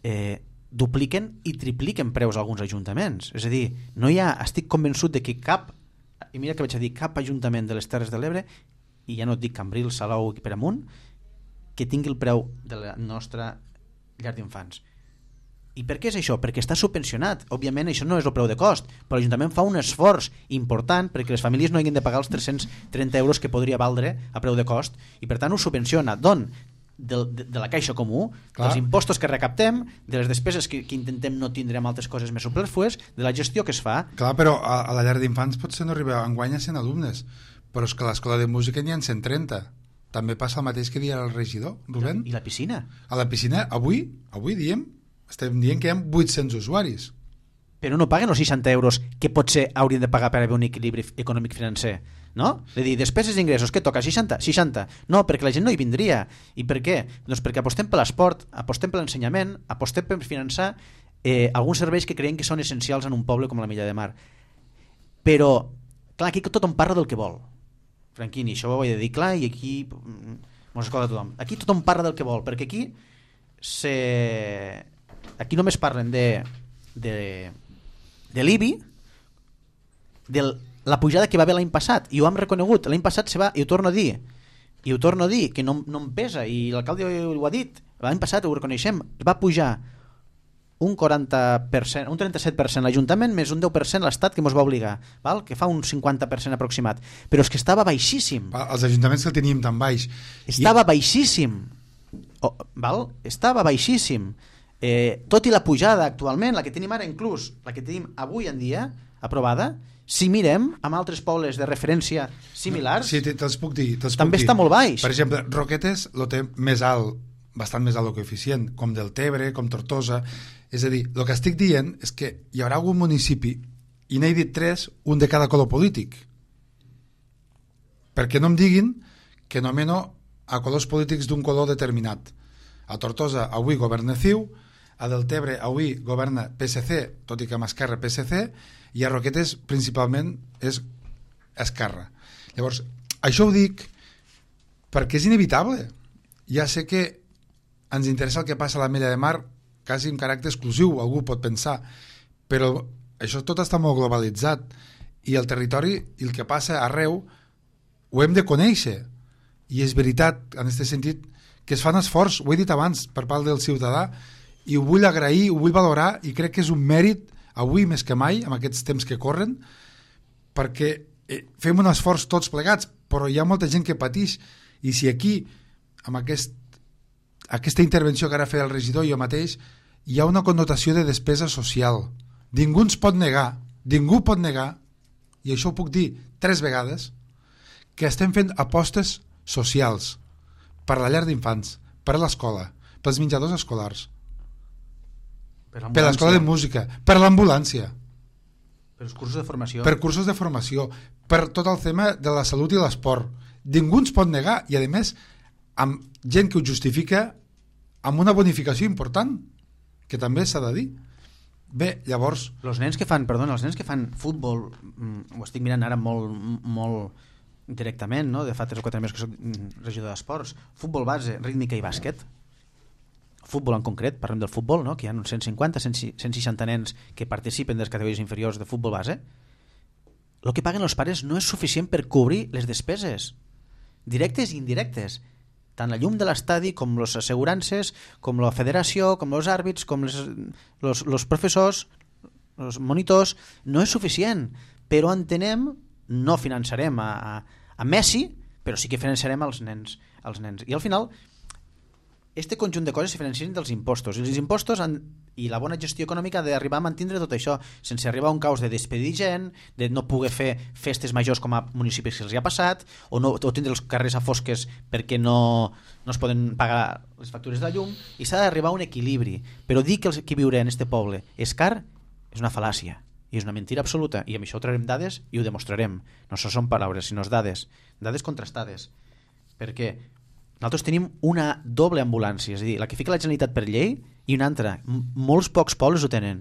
Eh, dupliquen i tripliquen preus a alguns ajuntaments. És a dir, no hi ha, estic convençut de que cap, i mira que vaig a dir, cap ajuntament de les Terres de l'Ebre, i ja no et dic Cambrils, Salou i per amunt, que tingui el preu de la nostra llar d'infants. I per què és això? Perquè està subvencionat. Òbviament això no és el preu de cost, però l'Ajuntament fa un esforç important perquè les famílies no hagin de pagar els tres-cents trenta euros que podria valdre a preu de cost, i per tant ho subvenciona. D'on? De, de, de la caixa comú, Clar. dels impostos que recaptem, de les despeses que, que intentem no tindre amb altres coses més superflues, de la gestió que es fa. Clar, però a, a la llar d'infants potser no arriba enguany a cent alumnes, però és que a l'escola de música n'hi ha cent trenta. També passa el mateix que dia el regidor, Rubén. I la piscina? A la piscina, avui, avui diem, estem dient que hi ha vuit-cents usuaris. Però no paguen els seixanta euros que potser haurien de pagar per haver un equilibri econòmic financer, no? És a dir, despeses i ingressos, què toca? seixanta? seixanta? No, perquè la gent no hi vindria. I per què? Doncs perquè apostem per l'esport, apostem per l'ensenyament, apostem per finançar eh, alguns serveis que creiem que són essencials en un poble com l'Ametlla de Mar. Però, clar, aquí tothom parla del que vol. Franquini, això ho he de dir clar, i aquí mos escolta tothom. Aquí tothom parla del que vol, perquè aquí se... aquí només parlen de de, de l'I B I, de la pujada que va haver l'any passat, i ho hem reconegut. L'any passat se va, i ho torno a dir, i ho torno a dir, que no, no em pesa, i l'alcalde ho ha dit, l'any passat ho reconeixem, va pujar un quaranta per cent, un trenta-set per cent l'Ajuntament, més un deu per cent l'Estat, que ens va obligar, val? Que fa un cinquanta per cent aproximat, però és que estava baixíssim. Els ajuntaments que el teníem tan baix. Estava I... baixíssim. Oh, val? Estava baixíssim. Eh, tot i la pujada actualment, la que tenim ara inclús, la que tenim avui en dia aprovada, si mirem amb altres pobles de referència similars, sí, te'ls puc dir, te'ls també puc està dir. molt baix. Per exemple, Roquetes lo té més alt, bastant més alt el coeficient, com Deltebre, com Tortosa. És a dir, el que estic dient és que hi haurà algun municipi, i n'he dit tres, un de cada color polític, perquè no em diguin que nomeno a colors polítics d'un color determinat. A Tortosa avui governa C I U, a Deltebre avui governa P S C, tot i que amb Esquerra P S C, i a Roquetes principalment és Esquerra. Llavors, això ho dic perquè és inevitable. Ja sé que ens interessa el que passa a l'Ametlla de Mar quasi en caràcter exclusiu, algú pot pensar, però això tot està molt globalitzat, i el territori i el que passa arreu ho hem de conèixer, i és veritat en aquest sentit que es fan esforç, ho he dit abans, per part del ciutadà, i ho vull agrair, ho vull valorar, i crec que és un mèrit avui més que mai, amb aquests temps que corren, perquè eh, fem un esforç tots plegats, però hi ha molta gent que pateix, i si aquí, amb aquest, aquesta intervenció que ara feia el regidor i jo mateix, hi ha una connotació de despesa social. Ningú ens pot negar, ningú pot negar, i això ho puc dir tres vegades, que estem fent apostes socials per la llar d'infants, per l'escola, pels menjadors escolars, per, per l'escola de música, per l'ambulància, per els cursos de formació, per cursos de formació, per tot el tema de la salut i l'esport. Ningú ens pot negar, i a més amb gent que ho justifica amb una bonificació important, que també s'ha de dir. Bé, llavors... Els nens que fan, perdona, els nens que fan futbol, ho estic mirant ara molt, molt directament, no? De fa tres o quatre mesos que soc regidor d'esports, futbol base, rítmica i bàsquet, futbol en concret, parlem del futbol, no? Que hi ha uns cent cinquanta, cent seixanta nens que participen de les categories inferiors de futbol base. El que paguen els pares no és suficient per cobrir les despeses directes i indirectes, tant la llum de l'estadi com les assegurances, com la federació, com els àrbits, com les, los, los professors, els monitors. No és suficient, però entenem, no finançarem a, a, a Messi, però sí que finançarem als nens, als nens. I al final este conjunt de coses se financien dels impostos, i els impostos han, i la bona gestió econòmica ha d'arribar a mantindre tot això, sense arribar a un caos de despedir gent, de no poder fer festes majors com a municipis que els hi ha passat, o, no, o tindre els carrers a fosques perquè no, no es poden pagar les factures de la llum, i s'ha d'arribar a un equilibri. Però dir que els que viure en este poble és car és una fal·làcia, i és una mentira absoluta, i amb això traurem dades i ho demostrarem. No són paraules, sinó dades, dades contrastades. Perquè nosaltres tenim una doble ambulància, és a dir, la que fica la Generalitat per llei i una altra. M molts pocs pobles ho tenen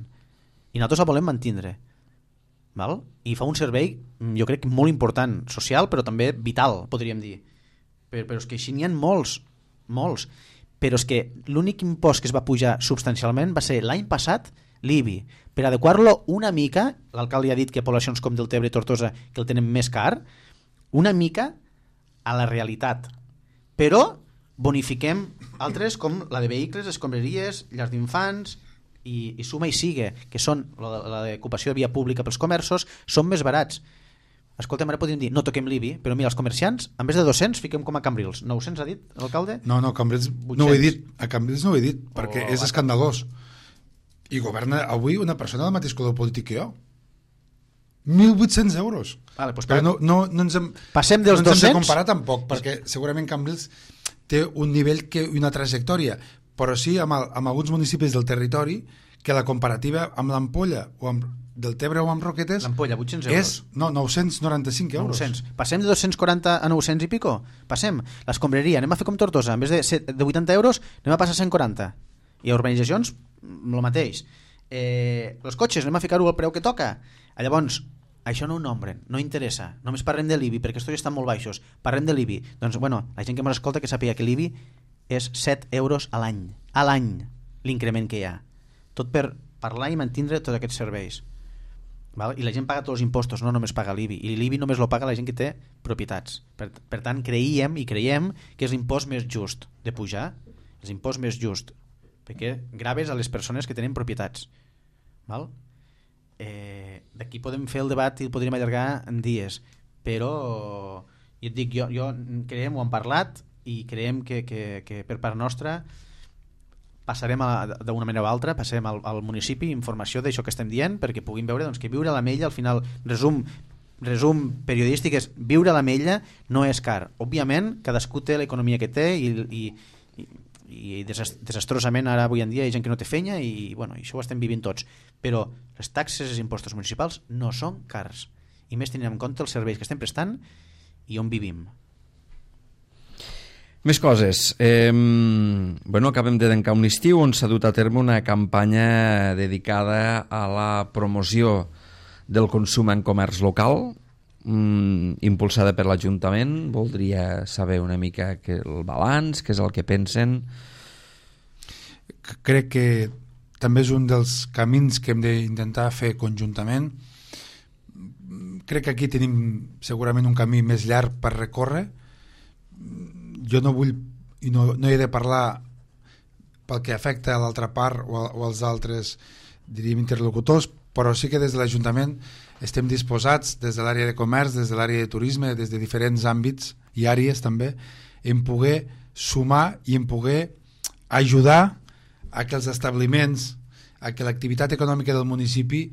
i nosaltres la volem mantindre, val? I fa un servei, jo crec, molt important, social, però també vital, podríem dir. Però, però és que així n'hi ha molts, molts. Però és que l'únic impost que es va pujar substancialment va ser l'any passat l'I B I. Per adequar-lo una mica, l'alcalde ha dit que poblacions com Deltebre i Tortosa que el tenen més car, una mica a la realitat. Però bonifiquem altres com la de vehicles, escombraries, llars d'infants i, i suma i sigue, que són la, la d'ocupació de via pública pels comerços, són més barats. Escolta'm, ara podríem dir, no toquem l'I B I, però mira, els comerciants, en vez de dos-cents, fiquem com a Cambrils. nou-cents ha dit l'alcalde? No, no, Cambrils no ho he dit. A Cambrils no ho he dit, perquè oh, és escandalós. I governa avui una persona del mateix color polític que jo. mil vuit-cents euros. Vale, pues però no, no, no ens hem, passem dels no ens hem dos-cents? de comparar tampoc, perquè segurament Cambrils té un nivell que una trajectòria, però sí amb, el, amb alguns municipis del territori que la comparativa amb l'Ampolla o amb Deltebre o amb Roquetes l'Ampolla, vuit-cents euros. És no, nou-cents noranta-cinc euros. nou-cents. Passem de dos-cents quaranta a nou-cents i pico? Passem. L'escombraria, anem a fer com Tortosa, en vez de, de vuitanta euros anem a passar a cent quaranta. I a urbanitzacions, el mateix. Eh, els cotxes, anem a ficar-ho al preu que toca. Llavors, això no ho nombren, no interessa. Només parlem de l'I B I, perquè aquests estan molt baixos. Parlem de l'I B I. Doncs, bueno, la gent que ens escolta que sàpiga que l'I B I és set euros a l'any. A l'any, l'increment que hi ha. Tot per parlar i mantindre tots aquests serveis. Val? I la gent paga tots els impostos, no només paga l'I B I. I l'I B I només lo paga la gent que té propietats. Per, per tant, creiem i creiem que és l'impost més just de pujar. És l'impost més just. Perquè graves a les persones que tenen propietats. Val? Eh, d'aquí podem fer el debat i el podríem allargar en dies, però jo et dic, jo, jo creiem, ho hem parlat i creiem que, que, que per part nostra passarem d'una manera o altra, passarem al, al municipi informació d'això que estem dient, perquè puguin veure doncs, que viure a l'Ametlla, al final resum, resum periodístic és viure a l'Ametlla no és car. Òbviament cadascú té l'economia que té i, i, i i desastrosament ara avui en dia hi ha gent que no té feina i bueno, això ho estem vivint tots, però les taxes i els impostos municipals no són cars, i més tenint en compte els serveis que estem prestant i on vivim. Més coses. Eh, bueno, acabem de tancar un estiu on s'ha dut a terme una campanya dedicada a la promoció del consum en comerç local, mm, impulsada per l'Ajuntament. Voldria saber una mica que el balanç, què és el que pensen. Crec que també és un dels camins que hem d'intentar fer conjuntament. Crec que aquí tenim segurament un camí més llarg per recórrer. Jo no vull i no, no he de parlar pel que afecta a l'altra part o, a, o als altres, diríem, interlocutors, però sí que des de l'Ajuntament estem disposats, des de l'àrea de comerç, des de l'àrea de turisme, des de diferents àmbits i àrees també, en poder sumar i en poder ajudar a que els establiments, a que l'activitat econòmica del municipi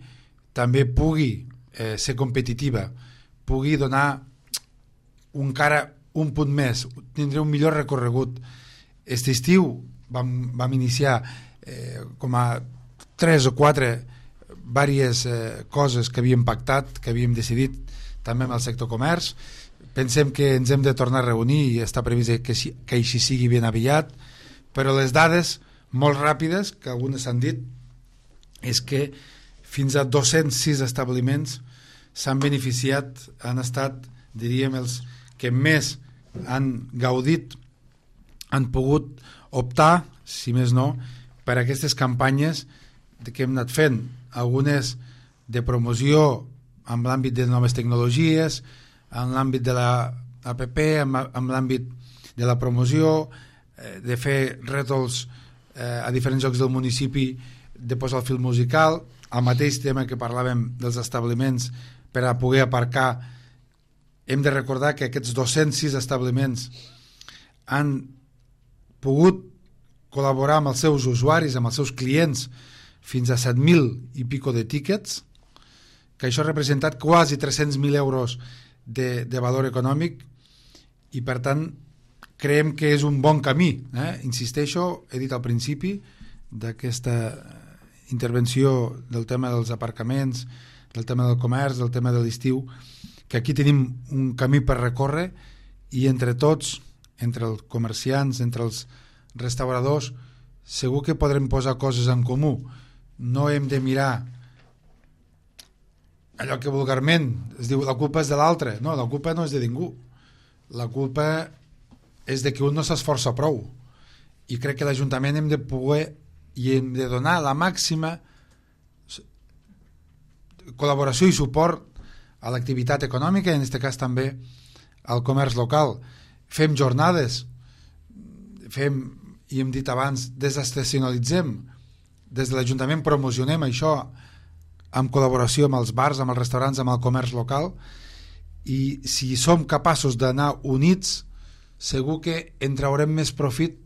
també pugui eh, ser competitiva, pugui donar un cara, un punt més, tindre un millor recorregut. Aquest estiu vam, vam iniciar eh, com a tres o quatre diverses eh, coses que havíem pactat, que havíem decidit també amb el sector comerç. Pensem que ens hem de tornar a reunir i està previst que, que així sigui ben aviat, però les dades molt ràpides, que algunes s'han dit, és que fins a dos-cents sis establiments s'han beneficiat, han estat, diríem, els que més han gaudit, han pogut optar, si més no, per aquestes campanyes que hem anat fent, algunes de promoció en l'àmbit de noves tecnologies, en l'àmbit de la A P P, en, en l'àmbit de la promoció, eh, de fer rètols eh, a diferents llocs del municipi, de posar el fil musical, el mateix tema que parlàvem dels establiments per a poder aparcar. Hem de recordar que aquests dos-cents sis establiments han pogut col·laborar amb els seus usuaris, amb els seus clients, fins a set mil i pico de tíquets, que això ha representat quasi tres-cents mil euros de, de valor econòmic, i per tant creiem que és un bon camí. Eh? Insisteixo, he dit al principi d'aquesta intervenció del tema dels aparcaments, del tema del comerç, del tema de l'estiu, que aquí tenim un camí per recórrer i entre tots, entre els comerciants, entre els restauradors, segur que podrem posar coses en comú. No hem de mirar allò que vulgarment es diu la culpa és de l'altre. No, la culpa no és de ningú. La culpa és de que un no s'esforça prou. I crec que l'Ajuntament hem de poder i hem de donar la màxima col·laboració i suport a l'activitat econòmica, i en aquest cas també al comerç local. Fem jornades, fem, i hem dit abans, desestacionalitzem. Des de l'Ajuntament promocionem això en col·laboració amb els bars, amb els restaurants, amb el comerç local, i si som capaços d'anar units, segur que en traurem més profit.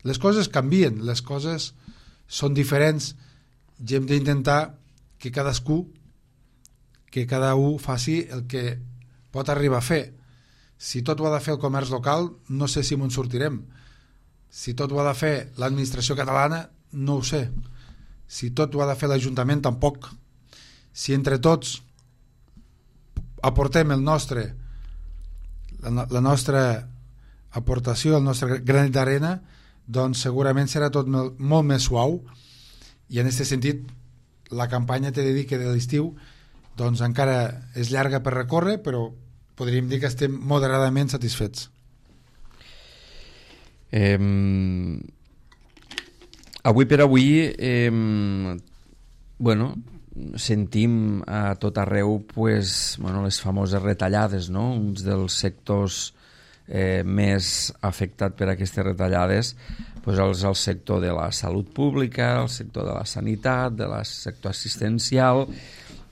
Les coses canvien, les coses són diferents, i hem d'intentar que cadascú, que cada un faci el que pot arribar a fer. Si tot ho ha de fer el comerç local, no sé si m'ho sortirem. Si tot ho ha de fer l'administració catalana, no ho sé. Si tot ho ha de fer l'Ajuntament, tampoc. Si entre tots aportem el nostre, la, la nostra aportació, el nostre granet d'arena, doncs segurament serà tot molt, molt més suau, i en aquest sentit la campanya t'he de dir que de l'estiu doncs encara és llarga per recórrer, però podríem dir que estem moderadament satisfets. Eh, avui per avui eh, bueno, sentim a tot arreu pues, bueno, les famoses retallades, no? Uns dels sectors eh, més afectats per aquestes retallades pues, és el sector de la salut pública, el sector de la sanitat, de la sector assistencial.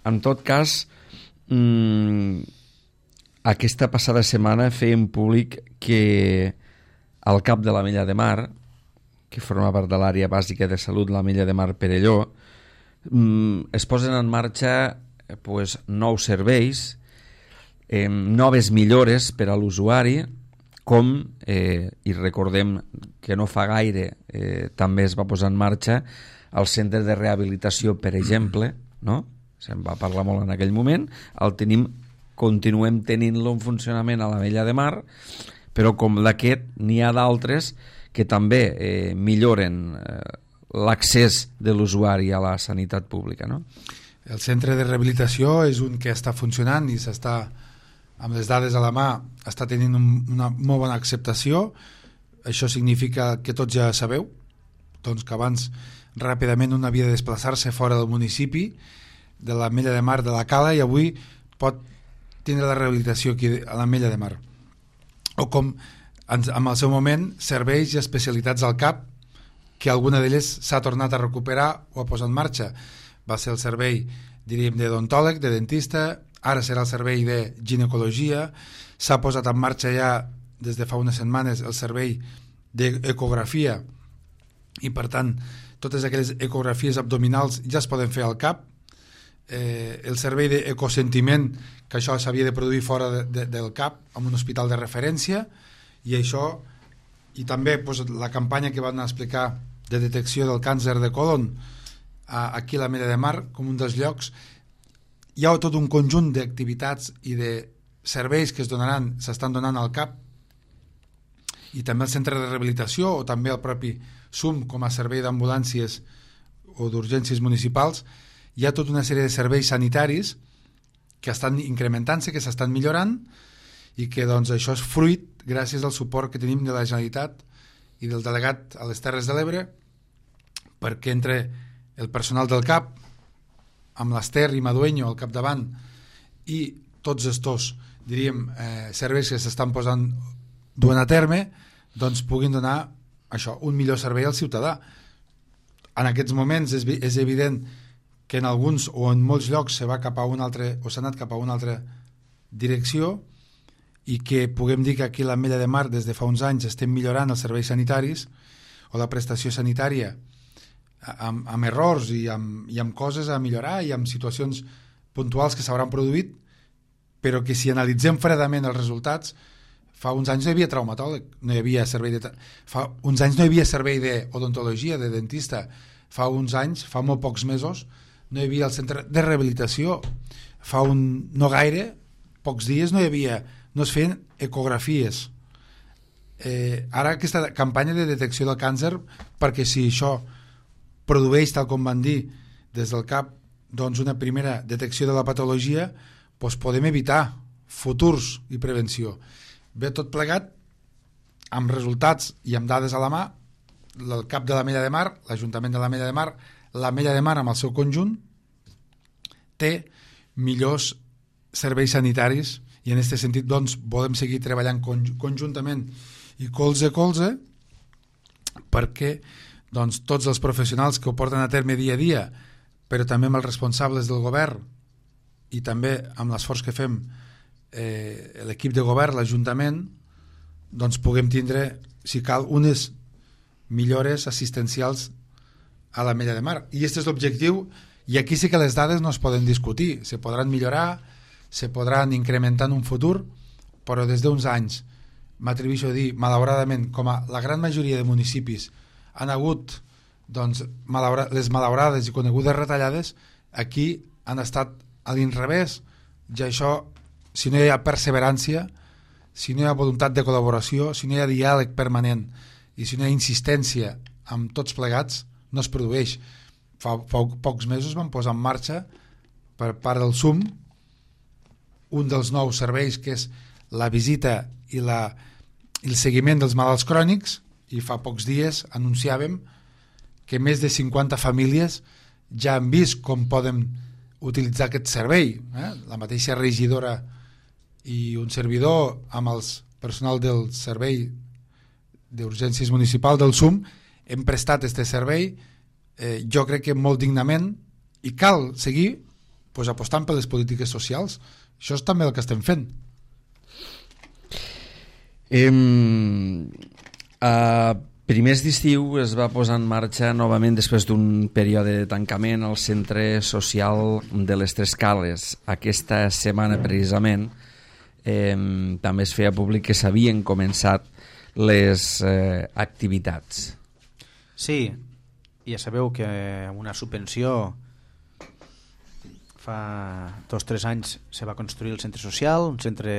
En tot cas, mmm, aquesta passada setmana feien públic que al cap de l'Ametlla de Mar, que forma part de l'àrea bàsica de salut, l'Ametlla de Mar Perelló, es posen en marxa pues, nous serveis, eh, noves millores per a l'usuari, com, eh, i recordem que no fa gaire eh, també es va posar en marxa el centre de rehabilitació, per exemple, no? Se'n va parlar molt en aquell moment, el tenim, continuem tenint-lo en funcionament a l'Ametlla de Mar, però com d'aquest n'hi ha d'altres que també eh, milloren eh, l'accés de l'usuari a la sanitat pública, no? El centre de rehabilitació és un que està funcionant i s'està, amb les dades a la mà, està tenint un, una molt bona acceptació. Això significa que tots ja sabeu doncs que abans ràpidament un havia de desplaçar-se fora del municipi, de l'Ametlla de Mar, de la Cala, i avui pot tindre la rehabilitació aquí a l'Ametlla de Mar. O com en el seu moment serveis i especialitats al cap, que alguna d'elles s'ha tornat a recuperar o a posar en marxa. Va ser el servei diríem, d'odontòleg, de dentista, ara serà el servei de ginecologia, s'ha posat en marxa ja des de fa unes setmanes el servei d'ecografia i per tant totes aquelles ecografies abdominals ja es poden fer al cap, eh, el servei d'ecosentiment, que això s'havia de produir fora de, de, del cap en un hospital de referència, i això, i també pues, la campanya que van explicar de detecció del càncer de colon a, aquí a la Mella de Mar com un dels llocs. Hi ha tot un conjunt d'activitats i de serveis que es donaran, s'estan donant al cap, i també el centre de rehabilitació o també el propi S U M com a servei d'ambulàncies o d'urgències municipals. Hi ha tota una sèrie de serveis sanitaris que estan incrementant-se, que s'estan millorant, i que doncs, això és fruit gràcies al suport que tenim de la Generalitat i del delegat a les Terres de l'Ebre, perquè entre el personal del CAP amb l'Ester i Madueño al capdavant i tots estos, diríem, eh, serveis que s'estan posant duent a terme, doncs puguin donar això, un millor servei al ciutadà. En aquests moments és, és evident que en alguns o en molts llocs se va cap a un altre, o s'ha anat cap a una altra direcció, i que puguem dir que aquí a l'Ametlla de Mar des de fa uns anys estem millorant els serveis sanitaris o la prestació sanitària amb, amb errors i amb, i amb coses a millorar i amb situacions puntuals que s'hauran produït, però que si analitzem fredament els resultats, fa uns anys no hi havia traumatòleg, no hi havia servei de... fa uns anys no hi havia servei d'odontologia, de dentista, fa uns anys, fa molt pocs mesos, no hi havia el centre de rehabilitació, fa un no gaire, pocs dies no hi havia, no es feien ecografies. Eh, ara aquesta campanya de detecció del càncer, perquè si això produeix, tal com van dir des del CAP, doncs una primera detecció de la patologia, doncs podem evitar futurs i prevenció. Ve tot plegat amb resultats i amb dades a la mà, el CAP de l'Ametlla de Mar, l'Ajuntament de l'Ametlla de Mar, l'Ametlla de Mar amb el seu conjunt té millors serveis sanitaris, i en aquest sentit doncs volem seguir treballant conjuntament i colze a colze perquè doncs tots els professionals que ho porten a terme dia a dia, però també amb els responsables del govern i també amb l'esforç que fem eh, l'equip de govern, l'Ajuntament, doncs puguem tindre, si cal, unes millores assistencials a l'Ametlla de Mar. I aquest és l'objectiu, i aquí sí que les dades no es poden discutir, se podran millorar, se podran incrementar en un futur, però des d'uns anys, m'atreveixo a dir, malauradament, com a la gran majoria de municipis han hagut doncs, malaura, les malaurades i conegudes retallades, aquí han estat a l'inrevés, i això, si no hi ha perseverància, si no hi ha voluntat de col·laboració, si no hi ha diàleg permanent i si no hi ha insistència amb tots plegats, no es produeix. Fa, fa pocs mesos vam posar en marxa per part del S U M un dels nous serveis, que és la visita i, la, i el seguiment dels malalts crònics, i fa pocs dies anunciàvem que més de cinquanta famílies ja han vist com poden utilitzar aquest servei. Eh? La mateixa regidora i un servidor amb el personal del servei d'urgències municipal del S U M hem prestat aquest servei, eh, jo crec que molt dignament, i cal seguir pues, apostant per les polítiques socials. Això és també el que estem fent. Eh, a primers d'estiu es va posar en marxa novament, després d'un període de tancament, el centre social de les Tres Cales. Aquesta setmana precisament eh, també es feia públic que s'havien començat les eh, activitats. Sí, ja sabeu que una subvenció fa dos o tres anys se va construir el centre social, un centre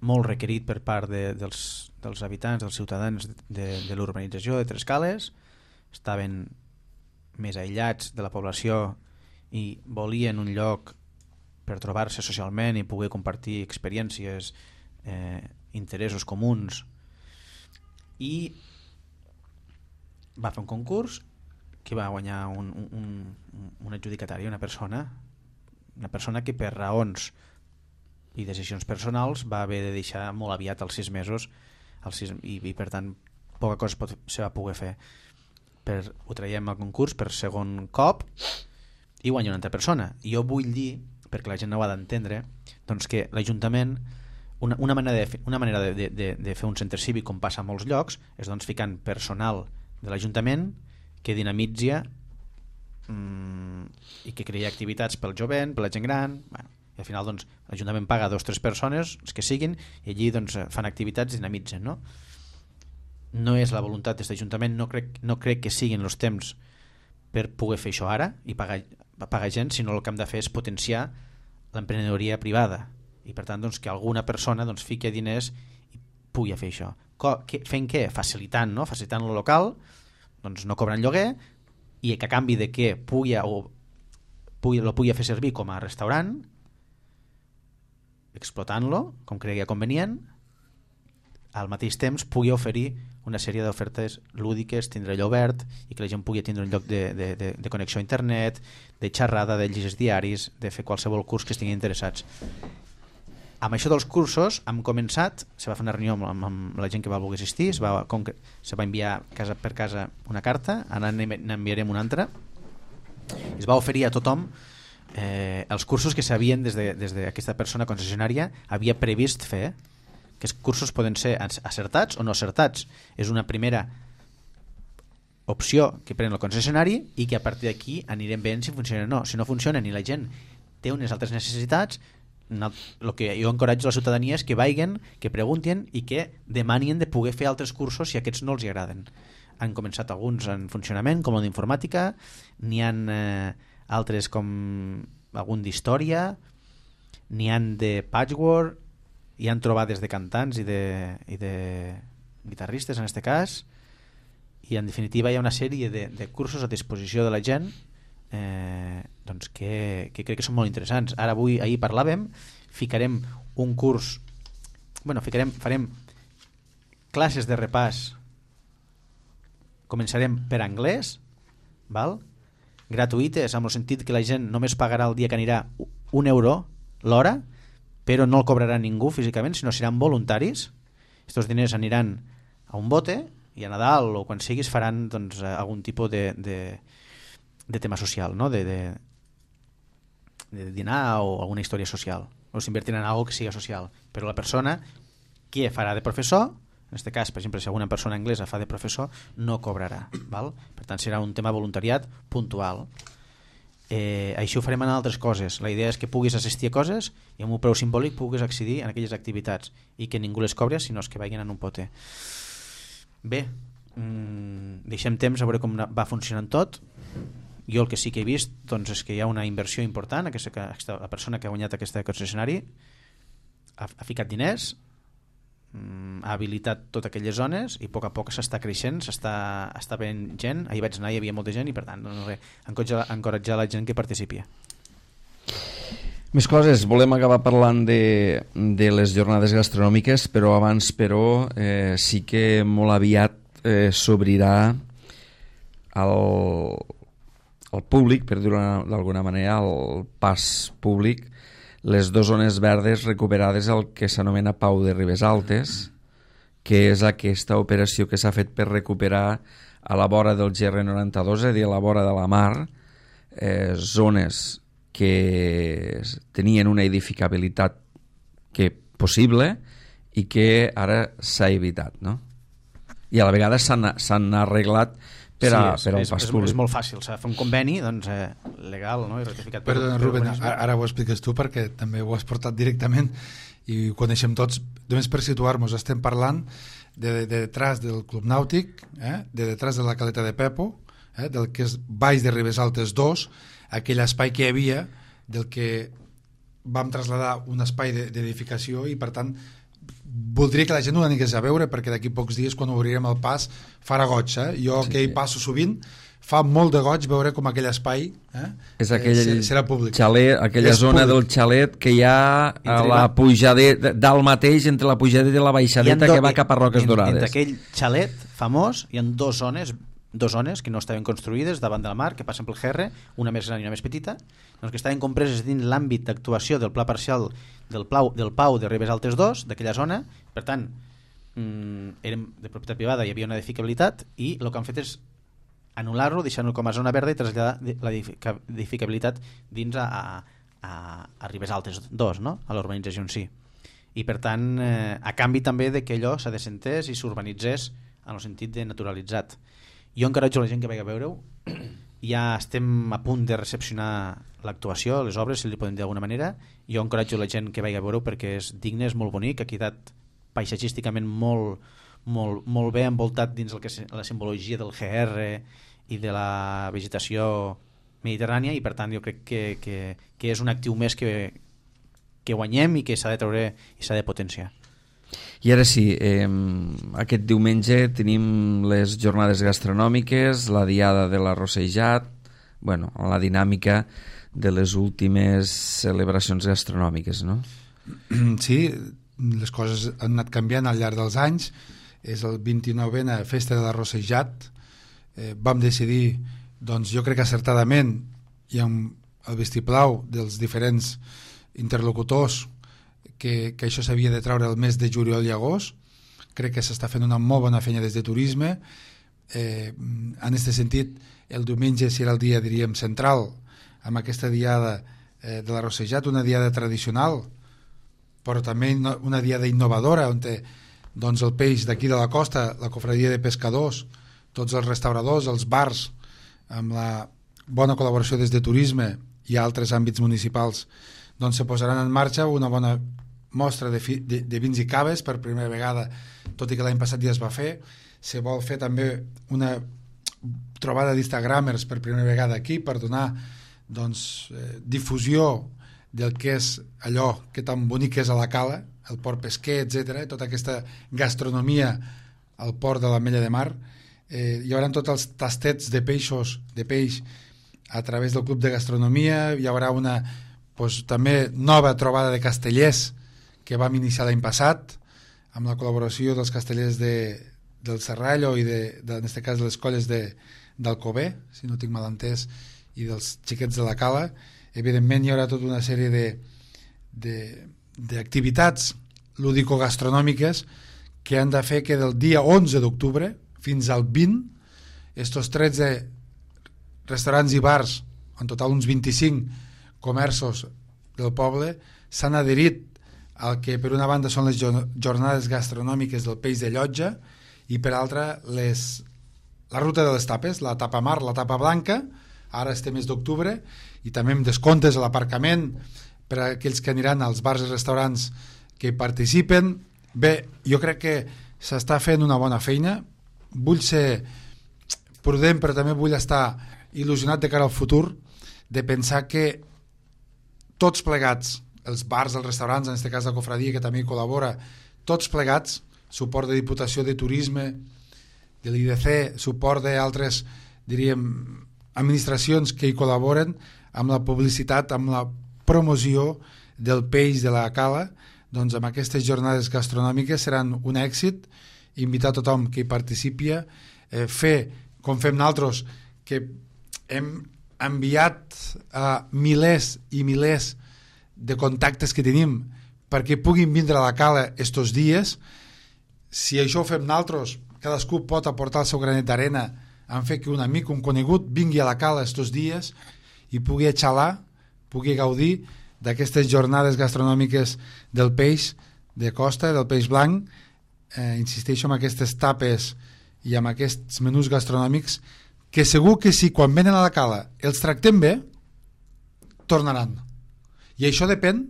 molt requerit per part de, dels, dels habitants, dels ciutadans de, de l'urbanització de Tres Cales. Estaven més aïllats de la població i volien un lloc per trobar-se socialment i poder compartir experiències, eh, interessos comuns, i va fer un concurs que va guanyar un, un, un adjudicatari, una persona una persona que per raons i decisions personals va haver de deixar molt aviat als sis mesos als sis, i, i per tant poca cosa pot, se va poder fer. Per, ho traiem al concurs per segon cop i guanya una altra persona. I jo vull dir, perquè la gent no ho ha d'entendre, doncs que l'Ajuntament, una, una manera, de, una manera de, de, de, de fer un centre cívic, com passa a molts llocs, és doncs ficant personal de l'Ajuntament que dinamitza mmm, i que crea activitats pel jovent, per la gent gran. Bueno, i al final doncs, l'Ajuntament paga dos o tres persones, els que siguin, i allí doncs, fan activitats i dinamitzen, no? No és la voluntat d'aquest Ajuntament, no crec, no crec que siguin els temps per poder fer això ara i pagar, pagar gent, sinó el que hem de fer és potenciar l'emprenedoria privada i per tant doncs, que alguna persona doncs, fiqui diners i pugui fer això. Co que, fent què? Facilitant, no? Facilitant lo local, doncs no cobrant lloguer i que a canvi de que pugui, o, pugui, lo pugui fer servir com a restaurant, explotant-lo com cregui convenient, al mateix temps pugui oferir una sèrie d'ofertes lúdiques, tindre allò obert i que la gent pugui tindre un lloc de, de, de, de connexió a internet, de xerrada, de llegir diaris, de fer qualsevol curs que estiguin interessats. Amb això dels cursos hem començat, se va fer una reunió amb, amb la gent que va voler assistir, se va, se va enviar casa per casa una carta, ara n'enviarem una altra, es va oferir a tothom eh, els cursos que s'havien des d'aquesta de, persona concessionària havia previst fer. Aquests cursos poden ser acertats o no acertats. És una primera opció que pren el concessionari i que a partir d'aquí anirem veient si funciona o no. Si no funciona ni la gent té unes altres necessitats, el que jo encoratjo a la ciutadania és que vagin, que preguntin i que demanin de poder fer altres cursos si aquests no els agraden. Han començat alguns en funcionament, com el d'informàtica, n'hi han eh, altres com algun d'història, n'hi han de patchwork, hi han trobades de cantants i de, i de guitarristes en aquest cas, i en definitiva hi ha una sèrie de, de cursos a disposició de la gent eh, doncs que, que crec que són molt interessants. Ara avui, ahir parlàvem, ficarem un curs, bueno, ficarem, farem classes de repàs, començarem per anglès, val? Gratuïtes, amb el sentit que la gent només pagarà el dia que anirà un euro l'hora, però no el cobrarà ningú físicament, sinó seran voluntaris. Estos diners aniran a un bote i a Nadal o quan siguis faran doncs, algun tipus de, de, de tema social, no? de, de, de dinar o alguna història social, o s'invertiran en alguna que siga social, però la persona que farà de professor, en aquest cas, per exemple, si alguna persona anglesa fa de professor, no cobrarà, val? Per tant serà un tema voluntariat puntual. Eh, això ho farem en altres coses. La idea és que puguis assistir a coses i amb un preu simbòlic puguis accedir a aquelles activitats i que ningú les cobri, sinó que vagin en un pote. Bé, mmm, deixem temps a veure com va funcionant tot. Jo el que sí que he vist doncs, és que hi ha una inversió important. Aquesta, aquesta, la persona que ha guanyat aquest concessionari ha, ha ficat diners, ha habilitat totes aquelles zones i a poc a poc s'està creixent, s'està està veient gent. Ahir vaig anar i hi havia molta gent i per tant no res, encoratjar, encoratjar la gent que participi. Més coses, volem acabar parlant de, de les jornades gastronòmiques, però abans però eh, sí que molt aviat eh, s'obrirà al, al públic, per dir-ho d'alguna manera, al pas públic, les dues zones verdes recuperades al que s'anomena Pau de Ribesaltes, que és aquesta operació que s'ha fet per recuperar a la vora del G R noranta-dos, és a dir, a la vora de la mar, eh, zones que tenien una edificabilitat que possible i que ara s'ha evitat, no? I a la vegada s'han arreglat per, a, sí, és, per al pas és, públic. És molt fàcil, s'ha de fer un conveni doncs, eh, legal, no? I ratificat per... Perdona, Rubén, ara, ara ho expliques tu perquè també ho has portat directament i ho coneixem tots. Només per situar-nos, estem parlant de, de detrás del Club Nàutic, eh? de detrás de la Caleta de Pepo, eh? del que és Baix de Ribesaltes dos, aquell espai que hi havia, del que vam traslladar un espai d'edificació i per tant voldria que la gent ho anés a veure perquè d'aquí pocs dies quan obrirem el pas farà goig, eh? Jo sí, que hi passo sovint fa molt de goig veure com aquell espai eh? és aquell eh, serà públic, xalet, aquella és zona públic. Del xalet que hi ha a la pujadeta dalt mateix entre la pujadeta i la baixadeta do, que va cap a Roques en, Dorades. Entre aquell xalet famós hi ha dues zones dues zones que no estaven construïdes davant del mar, que passen pel G R, una més gran i una més petita, doncs que estaven compreses dins l'àmbit d'actuació del pla parcial del, plau, del Pau de Ribesaltes dos, d'aquella zona. Per tant, mmm, érem de propietat privada, hi havia una edificabilitat i el que han fet és anul·lar-lo, deixar-lo com a zona verda i traslladar l'edificabilitat dins a, a, a, a Ribes Altes dos, no? A l'urbanització en si. I per tant, eh, a canvi també de que allò s'adesentés i s'urbanitzés en el sentit de naturalitzat. Jo encoratjo la gent que vagi a veure-ho. Ja estem a punt de recepcionar l'actuació, les obres, si li podem dir d'alguna manera. Jo encoratjo la gent que vagi a veure-ho perquè és digne, és molt bonic, ha quedat paisatgísticament molt, molt, molt bé envoltat dins el que és la simbologia del G R i de la vegetació mediterrània, i per tant jo crec que, que, que és un actiu més que, que guanyem i que s'ha de treure i s'ha de potenciar. I ara sí, eh, aquest diumenge tenim les jornades gastronòmiques, la diada de l'arrossejat, bueno, la dinàmica de les últimes celebracions gastronòmiques, no? Sí, les coses han anat canviant al llarg dels anys. És el vint-i-novena Festa de l'Arrossejat. Eh, vam decidir, doncs jo crec que acertadament, i amb el vistiplau dels diferents interlocutors, que, que això s'havia de treure el mes de juliol i agost. Crec que s'està fent una molt bona feina des de turisme. Eh, en aquest sentit, el diumenge serà el dia, diríem, central, amb aquesta diada eh, de l'Arrossejat, una diada tradicional, però també una diada innovadora, on té, doncs, el peix d'aquí de la costa, la cofradia de pescadors, tots els restauradors, els bars, amb la bona col·laboració des de turisme i altres àmbits municipals, doncs se posaran en marxa una bona mostra de, fi, de, de vins i caves per primera vegada, tot i que l'any passat ja es va fer. Se vol fer també una trobada d'instagramers per primera vegada aquí per donar, doncs, eh, difusió del que és allò que tan bonic és a la Cala, el port pesquer, etcètera, tota aquesta gastronomia al port de l'Ametlla de Mar. Eh, hi haurà tots els tastets de peixos, de peix a través del Club de Gastronomia. Hi haurà una, doncs, també nova trobada de castellers que vam iniciar l'any passat amb la col·laboració dels castellers de, del Serrallo i de, de, en aquest cas de les colles de, d'Alcover, si no tinc mal entès, i dels xiquets de la Cala. Evidentment hi haurà tota una sèrie de, de, d'activitats lúdico-gastronòmiques que han de fer que del dia onze d'octubre fins al vint, estos tretze restaurants i bars, en total uns vint-i-cinc comerços del poble, s'han adherit al que per una banda són les jornades gastronòmiques del peix de Llotja i per altra les, la ruta de les tapes, la tapa mar, la tapa blanca, ara este mes d'octubre, i també amb descomptes a l'aparcament per a aquells que aniran als bars i restaurants que hi participen. Bé, jo crec que s'està fent una bona feina. Vull ser prudent, però també vull estar il·lusionat de cara al futur, de pensar que tots plegats, els bars, els restaurants, en aquest cas la cofradia que també hi col·labora, tots plegats, suport de Diputació de Turisme, de l'I D C, suport d'altres, diríem, administracions que hi col·laboren amb la publicitat, amb la promoció del peix de la Cala, doncs amb aquestes jornades gastronòmiques seran un èxit. Invitar tothom que hi participi, eh, fer com fem nosaltres, que hem enviat a milers i milers de contactes que tenim perquè puguin vindre a la Cala estos dies. Si això ho fem nosaltres, cadascú pot aportar el seu granet d'arena en fer que un amic, un conegut vingui a la Cala estos dies i pugui xalar, pugui gaudir d'aquestes jornades gastronòmiques del peix de costa, del peix blanc. Eh, insisteixo en aquestes tapes i amb aquests menús gastronòmics que segur que si quan venen a la Cala els tractem bé, tornaran. I això depèn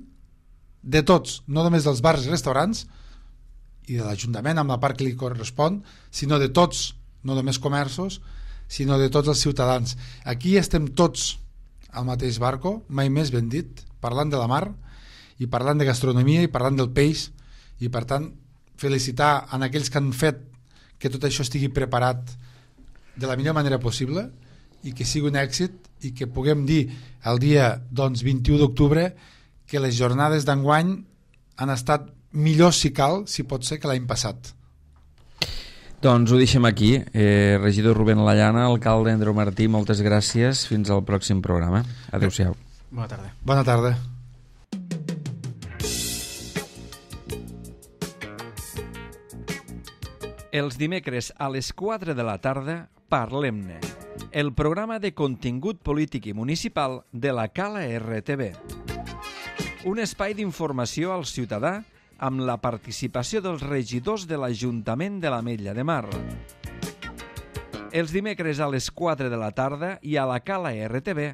de tots, no només dels bars i restaurants i de l'Ajuntament amb la part que li correspon, sinó de tots, no només comerços, sinó de tots els ciutadans. Aquí estem tots al mateix barco, mai més ben dit, parlant de la mar i parlant de gastronomia i parlant del peix, i per tant felicitar en aquells que han fet que tot això estigui preparat de la millor manera possible i que sigui un èxit i que puguem dir el dia, doncs, vint-i-u d'octubre que les jornades d'enguany han estat millors, si cal, si pot ser, que l'any passat. Doncs ho deixem aquí. Eh, regidor Rubén Lallana, alcalde Andreu Martí, moltes gràcies. Fins al pròxim programa. Adéu-siau. Bona tarda. Bona tarda. Els dimecres a les quatre de la tarda parlem-ne. el programa de contingut polític i municipal de la Cala R T V. Un espai d'informació al ciutadà amb la participació dels regidors de l'Ajuntament de l'Ametlla de Mar. Els dimecres a les quatre de la tarda i a la Cala R T V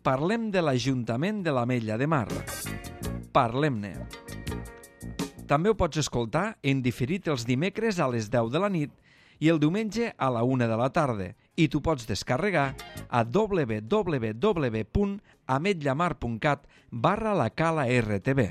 parlem de l'Ajuntament de l'Ametlla de Mar. Parlem-ne. També ho pots escoltar en diferit els dimecres a les deu de la nit i el diumenge a la una de la tarda i t'ho pots descarregar a w w w punt ametllamar punt cat barra la Cala R T V.